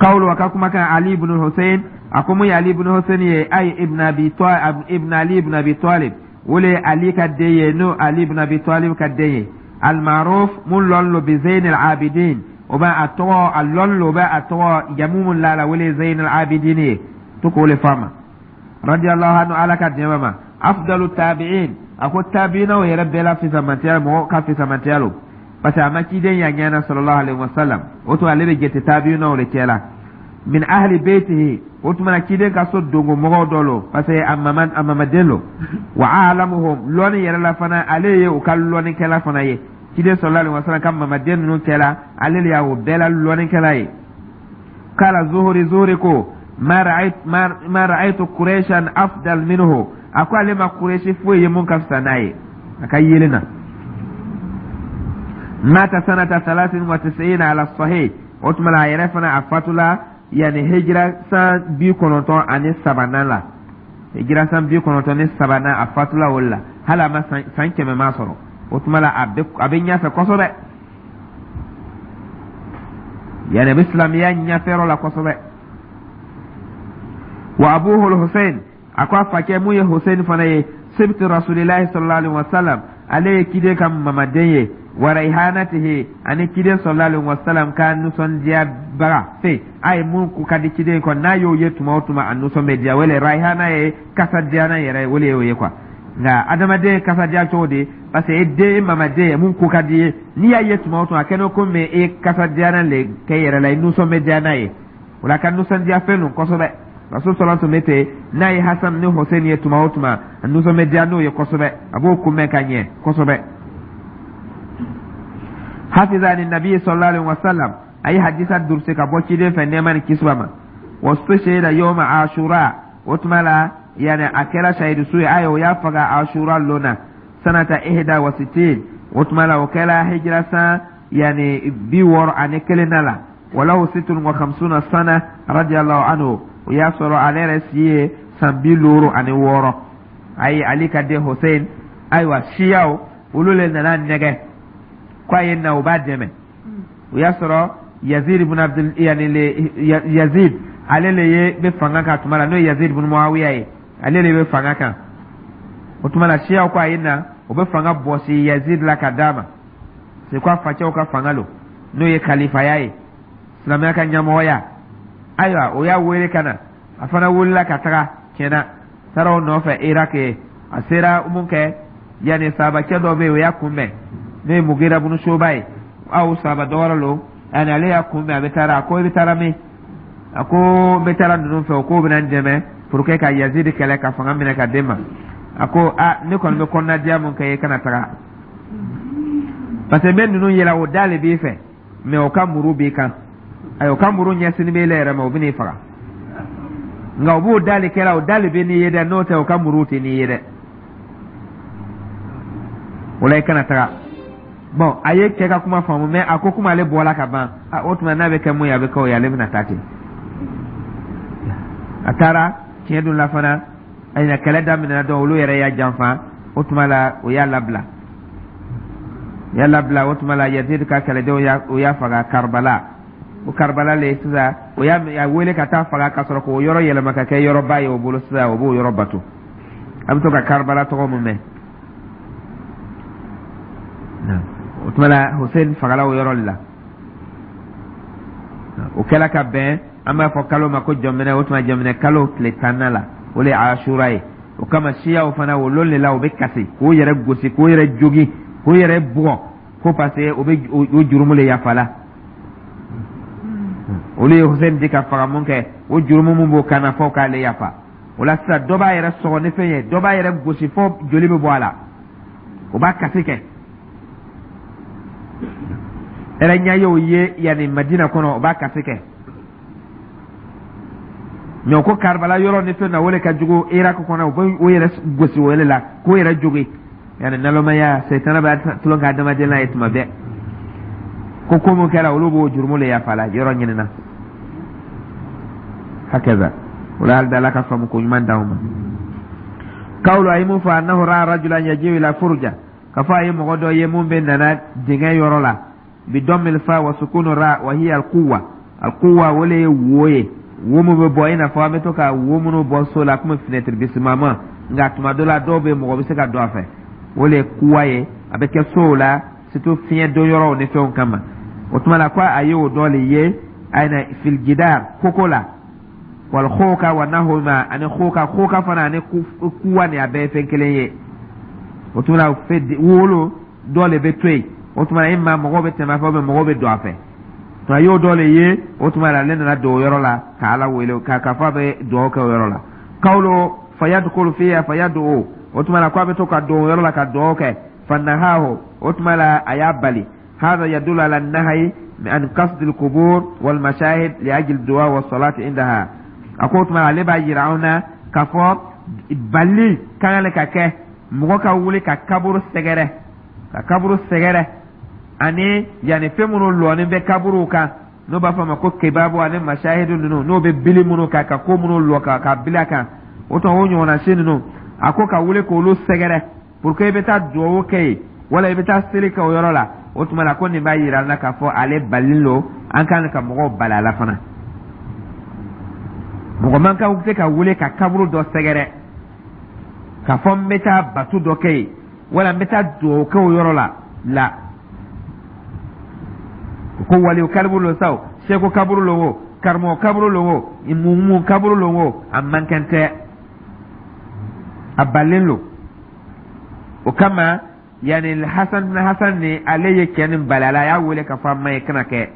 [SPEAKER 1] Kawulu, a ka kumakan, Ali ibn Hussein, a ko mun ye Ali ibn Hussein ye, ay ibn Abi ibn Ali ibn Abi Talib, o le Ali ka den ye, n'o Ali ibn Abi Talib ka den ye, almaruf, mun lɔn lo, bi Zayn al-Abidin, o bɛ a tɔgɔ a lɔn lo, o bɛ a tɔgɔ jamu mun la la, o le Zayn al-Abidin ye to k'o le fɔ a ma, radiyallahu anhu, Ala ka diɲɛ b'a ma, afdalu tabi'in. A ko tabi'inaw yɛrɛ bɛɛ la fisamantiya, mɔgɔ ka fisamantiya lo, parce que a ma ciden y'a ɲɛna, sallallahu alaihi wasallam. O tuma ale bɛ jate tabi'inaw le cɛ la. Min ahli beytihi, o tuma na ciden ka so dongo mɔgɔw dɔ lo, parce que a mamaden lo. Wa alamuhum, lɔnni yɛrɛ la fana, ale ye u ka lɔnnikɛla fana ye. Ciden sallallahu alaihi wasallam ka mamaden ninnu cɛ la, ale le y'a o bɛɛ la lɔnnikɛla ye. Kala Zuhuri, Zuhuri ko ma ra'aytu Quraishan afdal minhu, a ko ale ma Quraishi foyi ye mun ka fisa n'a ye a ka yelen na. Mata sanata 93 ala sahih. O tuma la a yɛrɛ fana a fatula yani hijira san 93nan la, hijira san 93nan a fatula o la, hali a ma san 100 ma sɔrɔ. O tuma la a bɛ ɲɛfɛ kosɛbɛ, yani a bɛ silamɛya ɲɛfɛyɔrɔ la kosɛbɛ. Wa abuhu Hussein, a ko a facɛ mun ye Hussein fana ye, sibti Rasulillahi sallallahu alaihi wasallam, ale ye kiden ka mamaden ye, wa raihanatihi, ani kiden sallallahu alaihi wasallam ka nisɔndiyabaga fɛ a ye mun ko ka di ciden kɔ, n'a y'o ye tuma o tuma a nisɔn bɛ diya. Wele raihana ye kasadiyalan yɛrɛ, wele y'o ye quoi. Nka adamaden kasadiya cogo di? Parce que e den, e mamaden ye mun ko ka di ye, n'i y'a ye tuma o tuma a kɛnɛ komi e kasadiyalan le kɛ yɛrɛ la, i nisɔn bɛ diya n'a ye. O la ka nisɔndiya fɛn don kosɛbɛ. Rasul sɔlɔ tun bɛ ten, n'a ye Hasan ni Hussein ye tuma o tuma, a nisɔn bɛ diya n'o ye kosɛbɛ, a b'o kunbɛn ka ɲɛ kosɛbɛ. Hafiza ani nabi sallallahu alaihi wasallam, a ye hadisa durusi ka bɔ ciden fɛ, nɛɛma ni kisi b'a ma. Wastushhida yawma Ashura, o tuma la yani a kɛra sahidu su ye, ayi o y'a faga Ashura lon na, sanata 61, o tuma la o kɛra hijira san yani 61 na la. Walahu 56 sana, radiyallahu anhu. O y'a sɔrɔ ale yɛrɛ si ye san 56. Ayi Ali ka den Hussein, ayiwa, siyaw olu le nana nɛgɛ ko a ye na u b'a dɛmɛ. O y'a sɔrɔ Yazid ibn Abdul, yani le Yazid, ale le ye bɛ fanga kan tuma la, n'o ye Yazid ibn Muawiya ye, ale le bɛ fanga kan o tuma la. Siyaw ko a ye na o bɛ fanga bɔsi Yazid la ka d'a ma, c'est ko a facɛw ka fanga lo, n'o ye kalifaya ye, silamɛya ka ɲɛmɔgɔya. Ayiwa, o y'a wele ka na, a fana wulila ka taga tiɲɛna, taara o nɔfɛ Irak ye. A sera mun kɛ, yanni sahabacɛ dɔ bɛ yen, o y'a kunbɛn, n'o ye Mugira bunu Soba ye, aw sahaba dɔ wɛrɛ lo. Yanni ale y'a kunbɛn, a bɛ taara, a ko i bɛ taara min? A ko n bɛ taara ninnu fɛ, o k'o bɛna n dɛmɛ pour que ka Yazid kɛlɛ ka fanga minɛ ka d'e ma. A ko a ne kɔni bɛ kɔnɔnadiya mun kɛ, i kana taga, parce que n bɛ ninnu yɛlɛ, o da le b'i fɛ, mais o ka muru b'i kan. Ayi, o ka muru ɲɛsinni b'e yɛrɛ ma, o bɛ n'i faga, nka o b'o da le kɛra, o da le bɛ n'i ye dɛ, n'o tɛ o ka muru tɛ n'i ye dɛ. O la i kana taga. Bon, a ye cɛ ka kuma faamu, mais a ko komi ale bɔla ka ban, a o tuma n'a bɛ kɛ mun ye, a bɛ kɛ o ye, ale bɛna taa ten. A taara tiɲɛ dun la fana, ayiwa, kɛlɛ daminɛna dɔn, olu yɛrɛ y'a janfa. O tuma la o y'a labila, o y'a labila. O tuma la Yazid ka kɛlɛdenw y'a o y'a faga Karibala. O Karibala le sisan, o y'a wele ka taa faga ka sɔrɔ k'o yɔrɔ yɛlɛma ka kɛ yɔrɔba ye o bolo. Sisan o b'o yɔrɔ bato, a bɛ to ka Karibala tɔgɔ mun mɛn. O tuma la Hussein fagala o yɔrɔ de la. O kɛla ka bɛn, an b'a fɔ kalo ma ko jɔminɛ, o tuma jɔminɛ kalo tile 10nan la, o le ye Asura ye. O kama siyaw fana o lon de la o bɛ kasi k'o yɛrɛ gosi, k'o yɛrɛ jogin, k'o yɛrɛ bugɔ, ko parce que o bɛ o jurumu le yafala. Olu ye Hussein di ka faga mun kɛ, o jurumu mun b'o kan na, fo k'ale yafa. O la sisan dɔ b'a yɛrɛ sɔgɔ ni fɛn ye, dɔ b'a yɛrɛ gosi fo joli bɛ bɔ a la, o b'a kasi kɛ. Ɛrɛ ɲɛ y'o ye yanni Madina kɔnɔ, o b'a kasi kɛ. Mɛ o ko Karibala yɔrɔ ni fɛn na, o le ka jugu Irak kɔnɔ, u bɛ o yɛrɛ gosi o yɛrɛ la k'o yɛrɛ jogi. Yani nalomaya, sɛtana bɛ tulon kɛ adamaden la ye tuma bɛɛ. Ko ko mun kɛra, olu b'o jurumu le yafa la yɔrɔ ɲinina hakaza. O la, hali Ala ka faamu ko ɲuman d'anw ma. Kawulu, a ye mun fɔ? Annahu ra'a rajulan yaji'u ila furja, ka fɔ a ye mɔgɔ dɔ ye mun bɛ nana dingɛ yɔrɔ la. Bi dammil fa wa sukunu ra, wa hiya alquwa. Alquwa, o le ye wo ye, wo mun bɛ bɔ, i n'a fɔ an bɛ to ka wo minnu bɔ so la komi fenêtre bisimama, nka tuma dɔ la dɔw bɛ, mɔgɔ bɛ se ka don a fɛ. O le ye kuwa ye, a bɛ kɛ sow la, surtout fiɲɛ don yɔrɔw ni fɛnw kama. O tuma la, ko a ye o dɔ le ye ayina fil jidar, koko la, wal khoka wa nahuma, ani khoka, khoka fana ani kuwa ni, a bɛɛ ye fɛn kelen ye. O tuma la, wolo dɔ le bɛ to yen. O tuma la, e ma mɔgɔw bɛ tɛmɛ a fɛ, mɔgɔw bɛ don a fɛ. A y'o dɔ le ye. O tuma la, ale nana don o yɔrɔ la ka Ala wele ka fɔ a bɛ dugawu kɛ o yɔrɔ la. Kawlo fayadkhulu fiha fayad'u, o tuma la, ko a bɛ to ka don o yɔrɔ la ka dugawu kɛ. Fanahahu, o tuma la, a y'a bali. Hada yadullu ala nahyi an qasd al-qubur wal mashahid li ajli du'a wa salati indaha. A ko o tuma, ale b'a yira anw na k'a fɔ bali kan le ka kɛ mɔgɔ ka wuli ka kaburu sɛgɛrɛ, ka kaburu sɛgɛrɛ, ani yanni fɛn minnu lɔɔni bɛ kaburuw kan, n'o b'a fɔ a ma ko kebabu ani mashahidu ninnu, n'o bɛ bili minnu kan, ka ko minnu lɔ ka bili a kan. O tuma, o ɲɔgɔnna si ninnu, a ko ka wuli k'olu sɛgɛrɛ pour que i bɛ taa duwawu kɛ yen wala i bɛ taa seli kɛ o yɔrɔ la. O tuma la, ko nin b'a yira an na k'a fɔ ale balilen don, an kan ka mɔgɔw bali a la fana. Mɔgɔ man kan se ka wuli ka kaburu dɔ sɛgɛrɛ k'a fɔ n bɛ taa batu dɔ kɛ yen wala n bɛ taa duwawu kɛ o yɔrɔ la. La ko waliyu kaburu lo sa o, seko kaburu lo o, karamɔgɔ kaburu lo o, mumu kaburu lo o, a man kan tɛ, a balilen lo. O kama, yanni Hasan Hasan ni ale ye cɛ nin bali a la, a y'a wele k'a fɔ a ma ye kana kɛ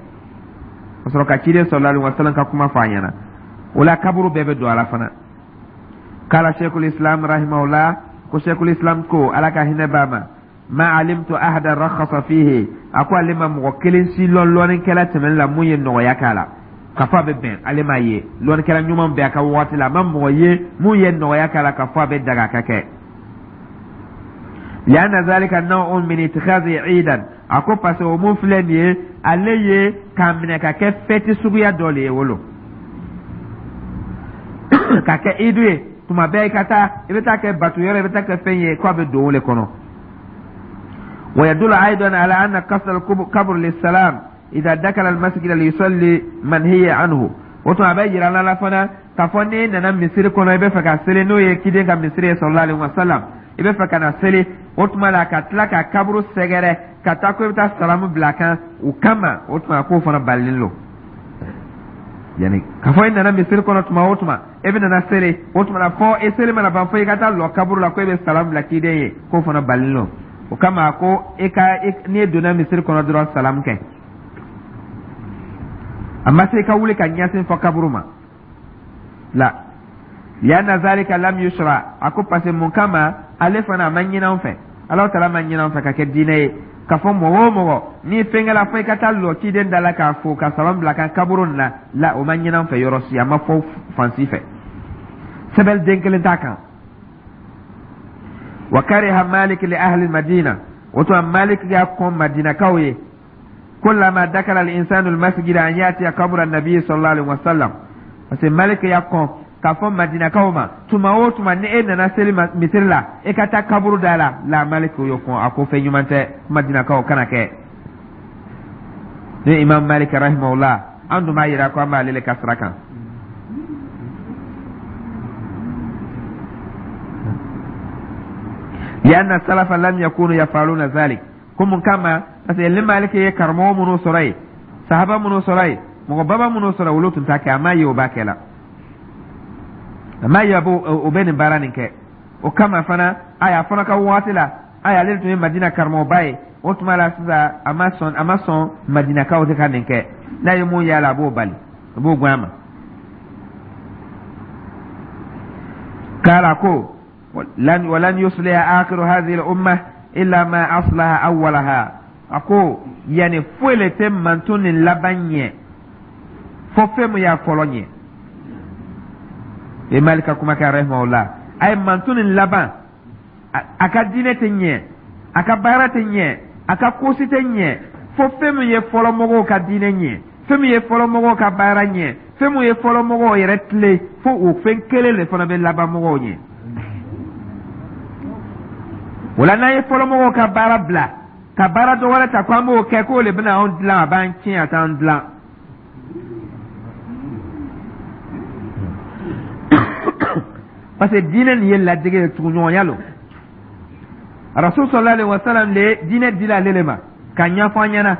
[SPEAKER 1] ka sɔrɔ ka ciden sallallahu alaihi wasallam ka kuma fɔ a ɲɛna. O la, kaburu bɛɛ bɛ don a la fana. Kala sheikhul islam rahimahullah, ko sheikhul islam ko, Ala ka hinɛ b'a ma, ma alimtu ahada rakhasa fihi, a ko ale ma mɔgɔ kelen si lɔn lɔnnikɛla tɛmɛnen la mun ye nɔgɔya k'a la k'a fɔ a bɛ bɛn. Ale m'a ye lɔnnikɛla ɲuman bɛɛ a ka waati la, a ma mɔgɔ ye mun ye nɔgɔya k'a la k'a fɔ a bɛ daga ka kɛ. Lianna zalika naw'un min ittikhazi iidan, a ko parce que o mun filɛ nin ye, ale ye k'a minɛ ka kɛ fɛti suguya dɔ le ye, wolo ka kɛ idu ye. Tuma bɛɛ i ka taa, i bɛ taa kɛ bato yɔrɔ, i bɛ taa kɛ fɛn ye, k'a bɛ don o le kɔnɔ. Wa yadullu aidan ala anna qasd al-qabr lis-salam idha dakala al-masjid li yusalli manhiya anhu. O tuma, a bɛ yira la fana k'a fɔ n'e nana misiri kɔnɔ, i bɛ fɛ ka seli, n'o ye ciden ka misiri ye sallallahu alaihi wasallam, i bɛ fɛ ka na seli, o tuma la, ka tila ka kaburu sɛgɛrɛ ka taa ko i bɛ taa salamu bila a kan o kama, o tuma k'o fana balilen don. Yani k'a fɔ i nana misiri kɔnɔ tuma o tuma, e bɛ nana seli, o tuma la, fɔ e seli mana ban, fɔ i ka taa lɔ kaburu la ko e bɛ salamu bila ciden ye, k'o fana balilen don. O kama, ko e ka n'i donna misiri kɔnɔ dɔrɔn, salamu kɛ. A ma se i ka wuli ka ɲɛsin fɔ kaburu ma la. Lianna zalika lam yushra, a ko parce que mun kama, ale fana a ma ɲini an fɛ, Alahu taala ma ɲini an fɛ ka kɛ diinɛ ye k'a fɔ mɔgɔ o mɔgɔ n'i fɛnkɛla, fɔ i ka taa lɔ ciden da la k'a fo ka salam bila kan kaburu nin na la. O ma ɲini an fɛ yɔrɔ si, a ma fɔ fan si fɛ, sɛbɛnni den kelen t'a kan. Wa kariha Malik li ahli Madina, o tuma Malik y'a kɔn Madinakaw ye, kullama dakala al-insanu al-masjid an yatiya qabra an-nabi sallallahu alaihi wasallam. Parce que Malik y'a kɔn k'a fɔ Madinakaw ma, tuma o tuma ni e nana seli misiri la, e ka taa kaburu da la. La, Malik y'o kɔn, a ko fɛn ɲuman tɛ, Madinakaw kana kɛ. Ni Imam Malik rahimahullah, an dun b'a yira ko an b'ale le ka sira kan. Lianna salafa lam yakunu yafaluna zalik, ko mun kama? Parce que ni Maliki ye karamɔgɔ minnu sɔrɔ yen, sahaba minnu sɔrɔ yen, mɔgɔ baba minnu sɔrɔ, olu tun t'a kɛ. A m'a ye o b'a kɛ la, a m'a ye o bɛ nin baara nin kɛ. O kama fana, a fana ka waati la, ayi, ale tun ye Madina karamɔgɔba ye. O tuma la sisan, a ma sɔn Madinakaw tɛ ka nin kɛ. N'a ye mun y'a la, a b'o bali, a b'o gɛn a ma. Kala ko walan yusliha akhiru hadhihi al-umma illa ma aslaha awwalaha, a ko yani foyi le tɛ mantɔn nin laban ɲɛ fo fɛn min y'a fɔlɔ ɲɛ. E Malik ka kuma kɛ rahimahullah, a ye mantɔn nin laban, a ka diinɛ tɛ ɲɛ. A ka baara tɛ ɲɛ, a ka ko si tɛ ɲɛ fo fɛn min ye fɔlɔmɔgɔw ka diinɛ ɲɛ, fɛn min ye fɔlɔmɔgɔw ka baara ɲɛ, fɛn min ye fɔlɔmɔgɔw yɛrɛ tilen, fo o fɛn kelen de fana bɛ laban mɔgɔw ɲɛ. O la, n'an ye fɔlɔmɔgɔw ka baara bila ka baara dɔ wɛrɛ ta ko an b'o kɛ, k'o de bɛna anw dilan, a b'an tiɲɛ, a t'an dilan, parce que diinɛ nin ye ladege ye, tuguɲɔgɔnya lo. Rasul sallallahu alaihi wasallam le diinɛ dila ale le ma ka ɲɛfɔ an ɲɛna.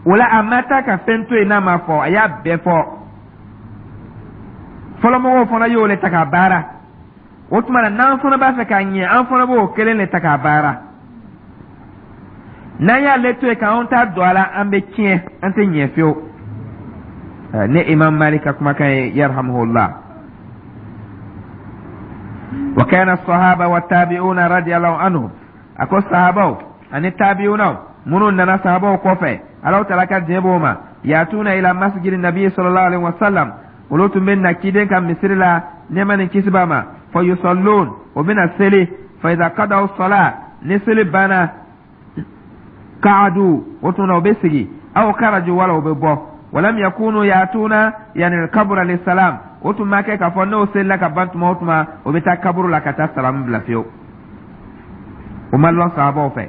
[SPEAKER 1] O la, a ma taa ka fɛn to yen n'a ma fɔ, a y'a bɛɛ fɔ. Fɔlɔmɔgɔw fana y'o le ta k'a baara. O tuma na, n'an fana b'a fɛ k'a ɲɛ, an fana b'o kelen le ta k'a baara. N'an y'ale to yen k'anw ta don a la, an bɛ tiɲɛ, an tɛ ɲɛ fiyewu. Ne Imam Malik ka kumakan ye, yarhamuhullah. Wa kana sahaba wa tabi'una radiyallahu anhum, a ko sahabaw ani tabi'unaw minnu nana sahabaw kɔfɛ, Alahu taala ka diɲɛ b'o ma, yatuna ila masjidi nabi sallallahu alaihi wasallam, olu tun bɛ na ciden ka misiri la, nɛɛma ni kisi b'a ma, fa yusallun, o bɛna seli, fa idha qadaw sala, ni seli banna, qaadu, o tuma na o bɛ sigi, aw kharaju, wala o bɛ bɔ. Walam yakunu yatuna yani kabura lisalam, o tun ma kɛ k'a fɔ n'o selila ka ban tuma o tuma, o bɛ taa kaburu la ka taa salamu bila fiyewu. O ma lɔn sahabaw fɛ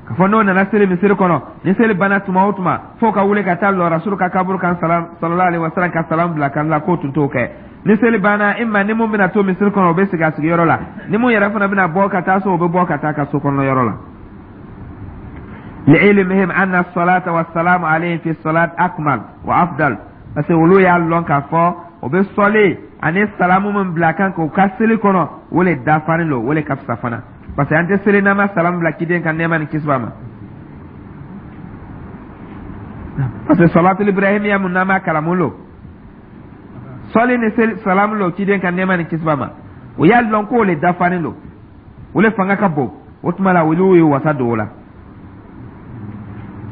[SPEAKER 1] k'a fɔ n'o nana seli misiri kɔnɔ, ni seli banna tuma o tuma, f'o ka wuli ka taa lɔ rasulu ka kaburu kan sallallahu alaihi wasallam ka salam bila kan la, k'o tun t'o kɛ. Ni seli banna, imma ni mun bɛna to misiri kɔnɔ, o bɛ sigi a sigiyɔrɔ la. Ni mun yɛrɛ fana bɛna bɔ ka taa so, o bɛ bɔ ka taa ka so kɔnɔ yɔrɔ la. Li'ilmihim anna salata wa salamu alayhi fi salat akmal wa afdal, parce que olu y'a lɔn k'a fɔ o bɛ sɔli ani salamu min bila kan k'o ka seli kɔnɔ, o le dafalen don, o le ka fisa fana, parce que an tɛ seli n'an ma salamu bila ciden kan, nɛɛma ni kisi b'a ma, parce que salatul ibrahimiya mun n'an b'a kalamu lo, sɔli ni seli salamu lo ciden kan, nɛɛma ni kisi b'a ma. O y'a lɔn k'o le dafalen don, o le fanga ka bon. O tuma la, olu ye wasa don o la.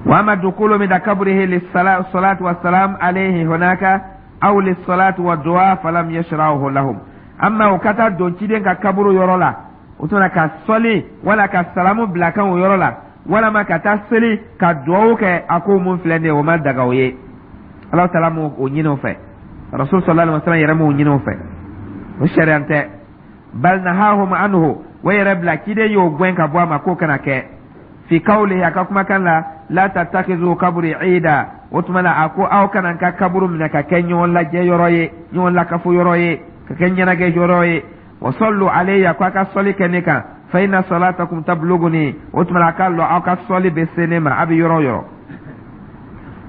[SPEAKER 1] Wa ama dukulu min kabrihi lissalatu wassalam alayhi hunaka aw lissalatu wa du'a falam yashra'uhu lahum. Amma o ka taa don ciden ka kaburu yɔrɔ la, o tuma ka sɔli wala ka salamu bila kan o yɔrɔ la, walama ka taa seli ka duwawu kɛ, a ko mun filɛ nin ye, o ma daga o ye. Ala taala m'o ɲini o fɛ, rasul sallallahu alaihi wasallam yɛrɛ m'o ɲini o fɛ, o sariya tɛ. Bal nahahum anhu, o yɛrɛ bila ciden y'o gɛn ka bɔ a ma k'o kana kɛ. Fi kawlihi, a ka kumakan la, la tattakizu kaburi ida, o tuma na a ko aw kana n ka kaburu minɛ ka kɛ ɲɔgɔn lajɛ yɔrɔ ye, ɲɔgɔn lakafo yɔrɔ ye, ka kɛ ɲɛnajɛ yɔrɔ ye. Wa sallu alayya, ko a ka sɔli kɛ ne kan, fa inna salatakum tabluguni, o tuma na a k'a lɔn aw ka sɔli bɛ se ne ma a bɛ yɔrɔ o yɔrɔ.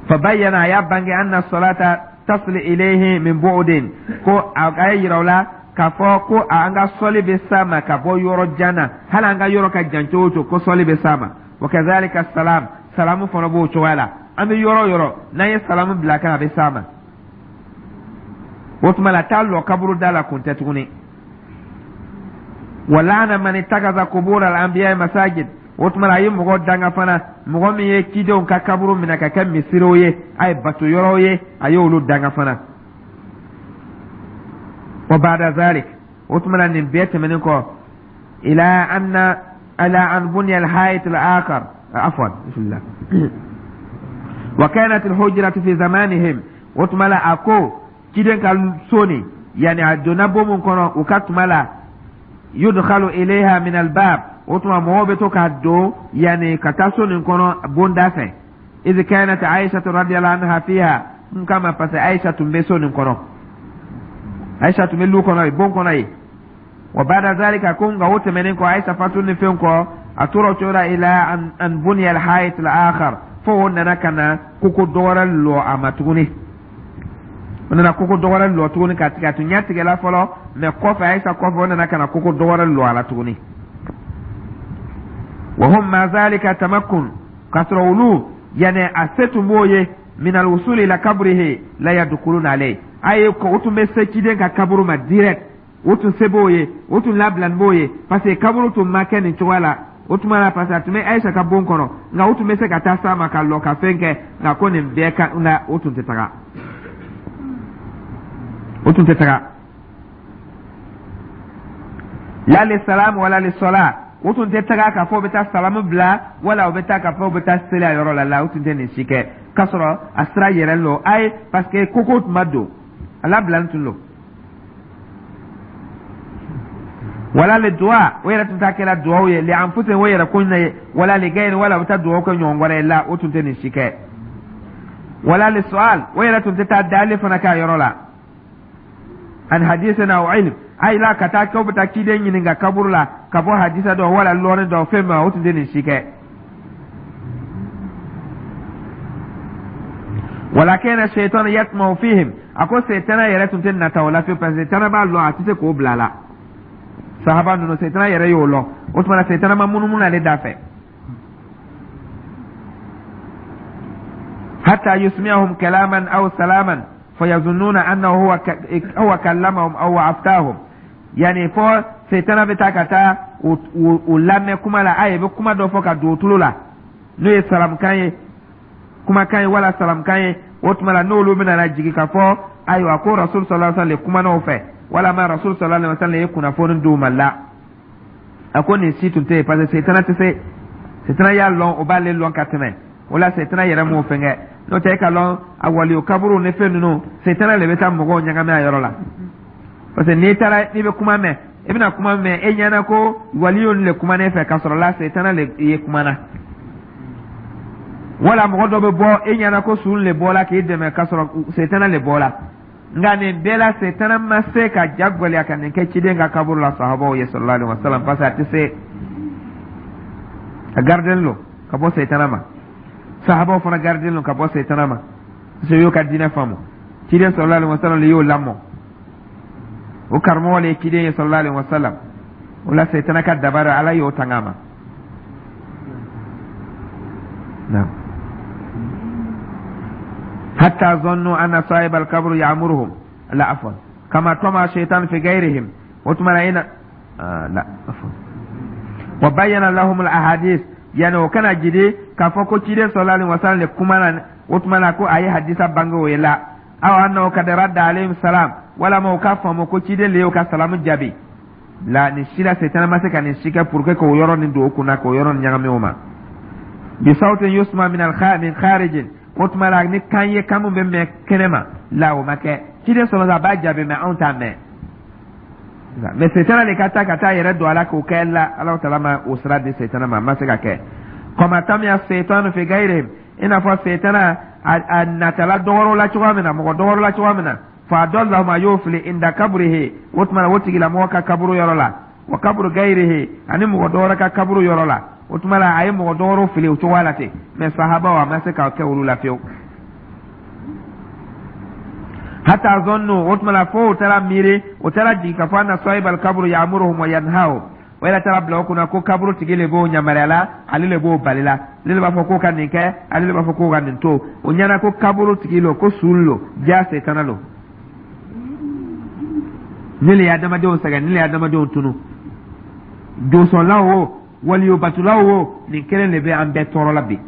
[SPEAKER 1] Fa bayyana, a y'a bange, anna salata tasili ilayhi min bu'din, ko a ye yira o la k'a fɔ ko an ka sɔli bɛ s'a ma ka bɔ yɔrɔ jan na, hali an ka yɔrɔ ka jan cogo o cogo, ko sɔli bɛ s'a ma. Wa kazalika salam, salamu fana b'o cogoya la, an bɛ yɔrɔ o yɔrɔ, n'an ye salamu bila kan, a bɛ s'a ma. O tuma la, taa lɔ kaburu da la kun tɛ tuguni. Wa laana man ittakaza kubur al anbiya masajid, o tuma la a ye mɔgɔ danga fana, mɔgɔ min ye cidenw ka kaburu minɛ ka kɛ misiriw ye, a ye bato yɔrɔw ye, a ye olu danga fana. Wa ba'da zalik, o tuma la nin bɛɛ tɛmɛnen kɔ, ila anna ala an bunya al hayit al akhar, afwan, bismillah, wa kanat al hujratu fi zamanihim, o tuma la a ko ciden ka so nin, yani a donna bon mun kɔnɔ u ka tuma la, yudkhalu ilayha min albab, o tuma mɔgɔw bɛ to ka don, yani ka taa so nin kɔnɔ bonda fɛ. Iz kanat Aisha radiyallahu anha fiha, n kama parce que Aisha tun bɛ so nin kɔnɔ, Aisha tun bɛ lu kɔnɔ yen, bon kɔnɔ yen. Wa ba'da zalika, ko nka o tɛmɛnen kɔ, Aisha fatu ni fɛn kɔ, a tora o cogo la, ila an buniya al-hayit al-akhar, fo o nana ka na koko dɔ wɛrɛ lɔ a ma tuguni. O nana koko dɔ wɛrɛ lɔ tuguni ka tigɛ, a tun ɲɛ tigɛla fɔlɔ, mɛ kɔfɛ, Ayisa kɔfɛ, o nana ka na koko dɔ wɛrɛ lɔ a la tuguni. Wa hum ma zalika tamakkun, k'a sɔrɔ olu yani a se tun b'o ye, min alwusul ila kabrihi la yadkhuluna alayhi, a ye o tun bɛ se ciden ka kaburu ma direct, o tun se b'o ye, o tun labilani b'o ye, parce que kaburu tun ma kɛ nin cogoya la o tuma la, parce que a tun bɛ Ayisa ka bon kɔnɔ, nka o tun bɛ se ka taa s'a ma ka lɔ ka fɛn kɛ. Nka ko nin bɛɛ ka, nka o tun tɛ taga, o tun tɛ taga la li salam wala li sala. O tun tɛ taga k'a fɔ u bɛ taa salamu bila, wala u bɛ taa k'a fɔ u bɛ taa seli a yɔrɔ la. La, u tun tɛ nin si kɛ, k'a sɔrɔ a sira yɛrɛ lo ayi, parce que koko tun ma don a labilalen tun lo. Wala le duwa, o yɛrɛ tun t'a kɛla duwawu ye li anfusihim, o yɛrɛ ko ɲɛ ye, wala li gayri, wala u bɛ taa duwawu kɛ ɲɔgɔn wɛrɛ ye. La, o tun tɛ nin si kɛ. Wala li su'al, o yɛrɛ tun tɛ taa dali fana k'a yɔrɔ la, an hadisin aw ilm, ayi la, ka taa k'aw bɛ taa ciden ɲininka kaburu la ka bɔ hadisa dɔ wala lɔɔni dɔ fɛn ma, o tun tɛ nin si kɛ. Wala kana shaytan yatma'u fihim, a ko setana yɛrɛ tun tɛ nata o la fiyewu, parce que setana b'a lɔn a tɛ se k'o bila a la. Sahaba ninnu, setana yɛrɛ y'o lɔn. O tuma na, setana ma munumunu ale da fɛ, hatta yusmi'ahum kalaman aw salaman fayazunnuna annahu huwa kallamahum aw aftahum. Yani fo setana bɛ taa ka taa u lamɛn kuma la, ayi, bɛ kuma dɔ fɔ ka don u tulo la, n'o ye salamukan ye, kumakan ye wala salamukan ye. O tuma la, n'olu bɛna na jigin ka fɔ, ayiwa, ko Rasul sallallahu alaihi wasallam le kumana o fɛ, walama Rasul sallallahu alaihi wasallam ye kunnafoni d'u ma. La, a ko nin si tun tɛ yen, parce que setana tɛ se. Setana y'a lɔn, o b'ale lɔn ka tɛmɛ o la. Setana yɛrɛ m'o fɛn kɛ. N'o tɛ, e ka lɔn a waliyo kaburu ni fɛn ninnu, setana le bɛ taa mɔgɔw ɲagami a yɔrɔ la, parce que n'i taara, n'i bɛ kuma mɛn, i bɛna kuma mɛn, e ɲɛna ko waliyo le kuma ne fɛ, k'a sɔrɔ la, setana le ye kuma na. Wala mɔgɔ dɔ bɛ bɔ, e ɲɛna ko sun le bɔla k'i dɛmɛ, k'a sɔrɔ setana le bɔla. Nka nin bɛɛ la, setana ma se ka ja gwɛlɛya ka nin kɛ ciden ka kaburu la sahabaw ye sallallahu alaihi wasallam, parce que a tɛ se, a gardelen lo ka bɔ setana ma. Sahabaw fana gardelen lo ka bɔ setana ma, parce que y'o ka diinɛ faamu. Ciden sallallahu alaihi wasallam le y'o lamɔ, o karamɔgɔ le ye ciden ye sallallahu alaihi wasallam. O la, setana ka dabari, Ala y'o tanga a ma. Naam. Hatta zannu anna sahib al-qabr ya'muruhum. La, afwan, kama tama shaytan fi ghayrihim. O tuma na ina la, afwan, wa bayyana lahum al-ahadith, yani o kana jidi k'a fɔ ko ciden sallallahu alaihi wasallam le kuma na. O tuma na, ko a ye hadisa bange o ye la, aw annahu kad radda alayhim salam, walama o k'a faamu ko ciden le y'o ka salamu jaabi. La, nin si la, setana ma se ka nin si kɛ pour que k'o yɔrɔ nin don o kunna, k'o yɔrɔ nin ɲagami o ma. Bi sawtin yusma min al min kharijin, o tuma la, ni kan ye, kan min bɛ mɛn kɛnɛ ma la, o ma kɛ. Ciden sɔrɔ a b'a jaabi, mɛ anw t'a mɛn. Mɛ setana de ka taa ka taa yɛrɛ don a la k'o kɛ la, Ala taala ma o sira di setana ma, a ma se ka kɛ. Kama tamiya setanu fi gayrihim, i n'a fɔ setana a natala dɔgɔrɔ la cogoya min na, mɔgɔ dɔgɔrɔ la cogoya min na, fa adallahum, a y'o fili, inda kabrihi, o tuma na, o tigilamɔgɔ ka kaburu yɔrɔ la, wa kaburu gayrihi, ani mɔgɔ dɔwɛrɛ ka kaburu yɔrɔ la. O tuma la, a ye mɔgɔ dɔwɛrɛw fili o cogoya la ten, mɛ sahabaw, a ma se ka kɛ olu la fiyewu. Hatta zannu, o tuma la, fo o taara miiri, o taara jigin ka fɔ anna sahibal kaburu ya'muruhum wa yanhahum. O yɛrɛ taara bila o kunna ko kaburu tigi le b'o yamaruya la, ale le b'o bali la, ale le b'a fɔ k'o ka nin kɛ, ale le b'a fɔ k'o ka nin to. O ɲɛna ko kaburu tigi lo, ko sun lo, ja setana lo. Ne le ye adamadenw sɛgɛn, ne le ye adamadenw tunu. Dosɔnlaw o, waliyobatulaw o, nin kelen de bɛ an bɛɛ tɔɔrɔ la bi.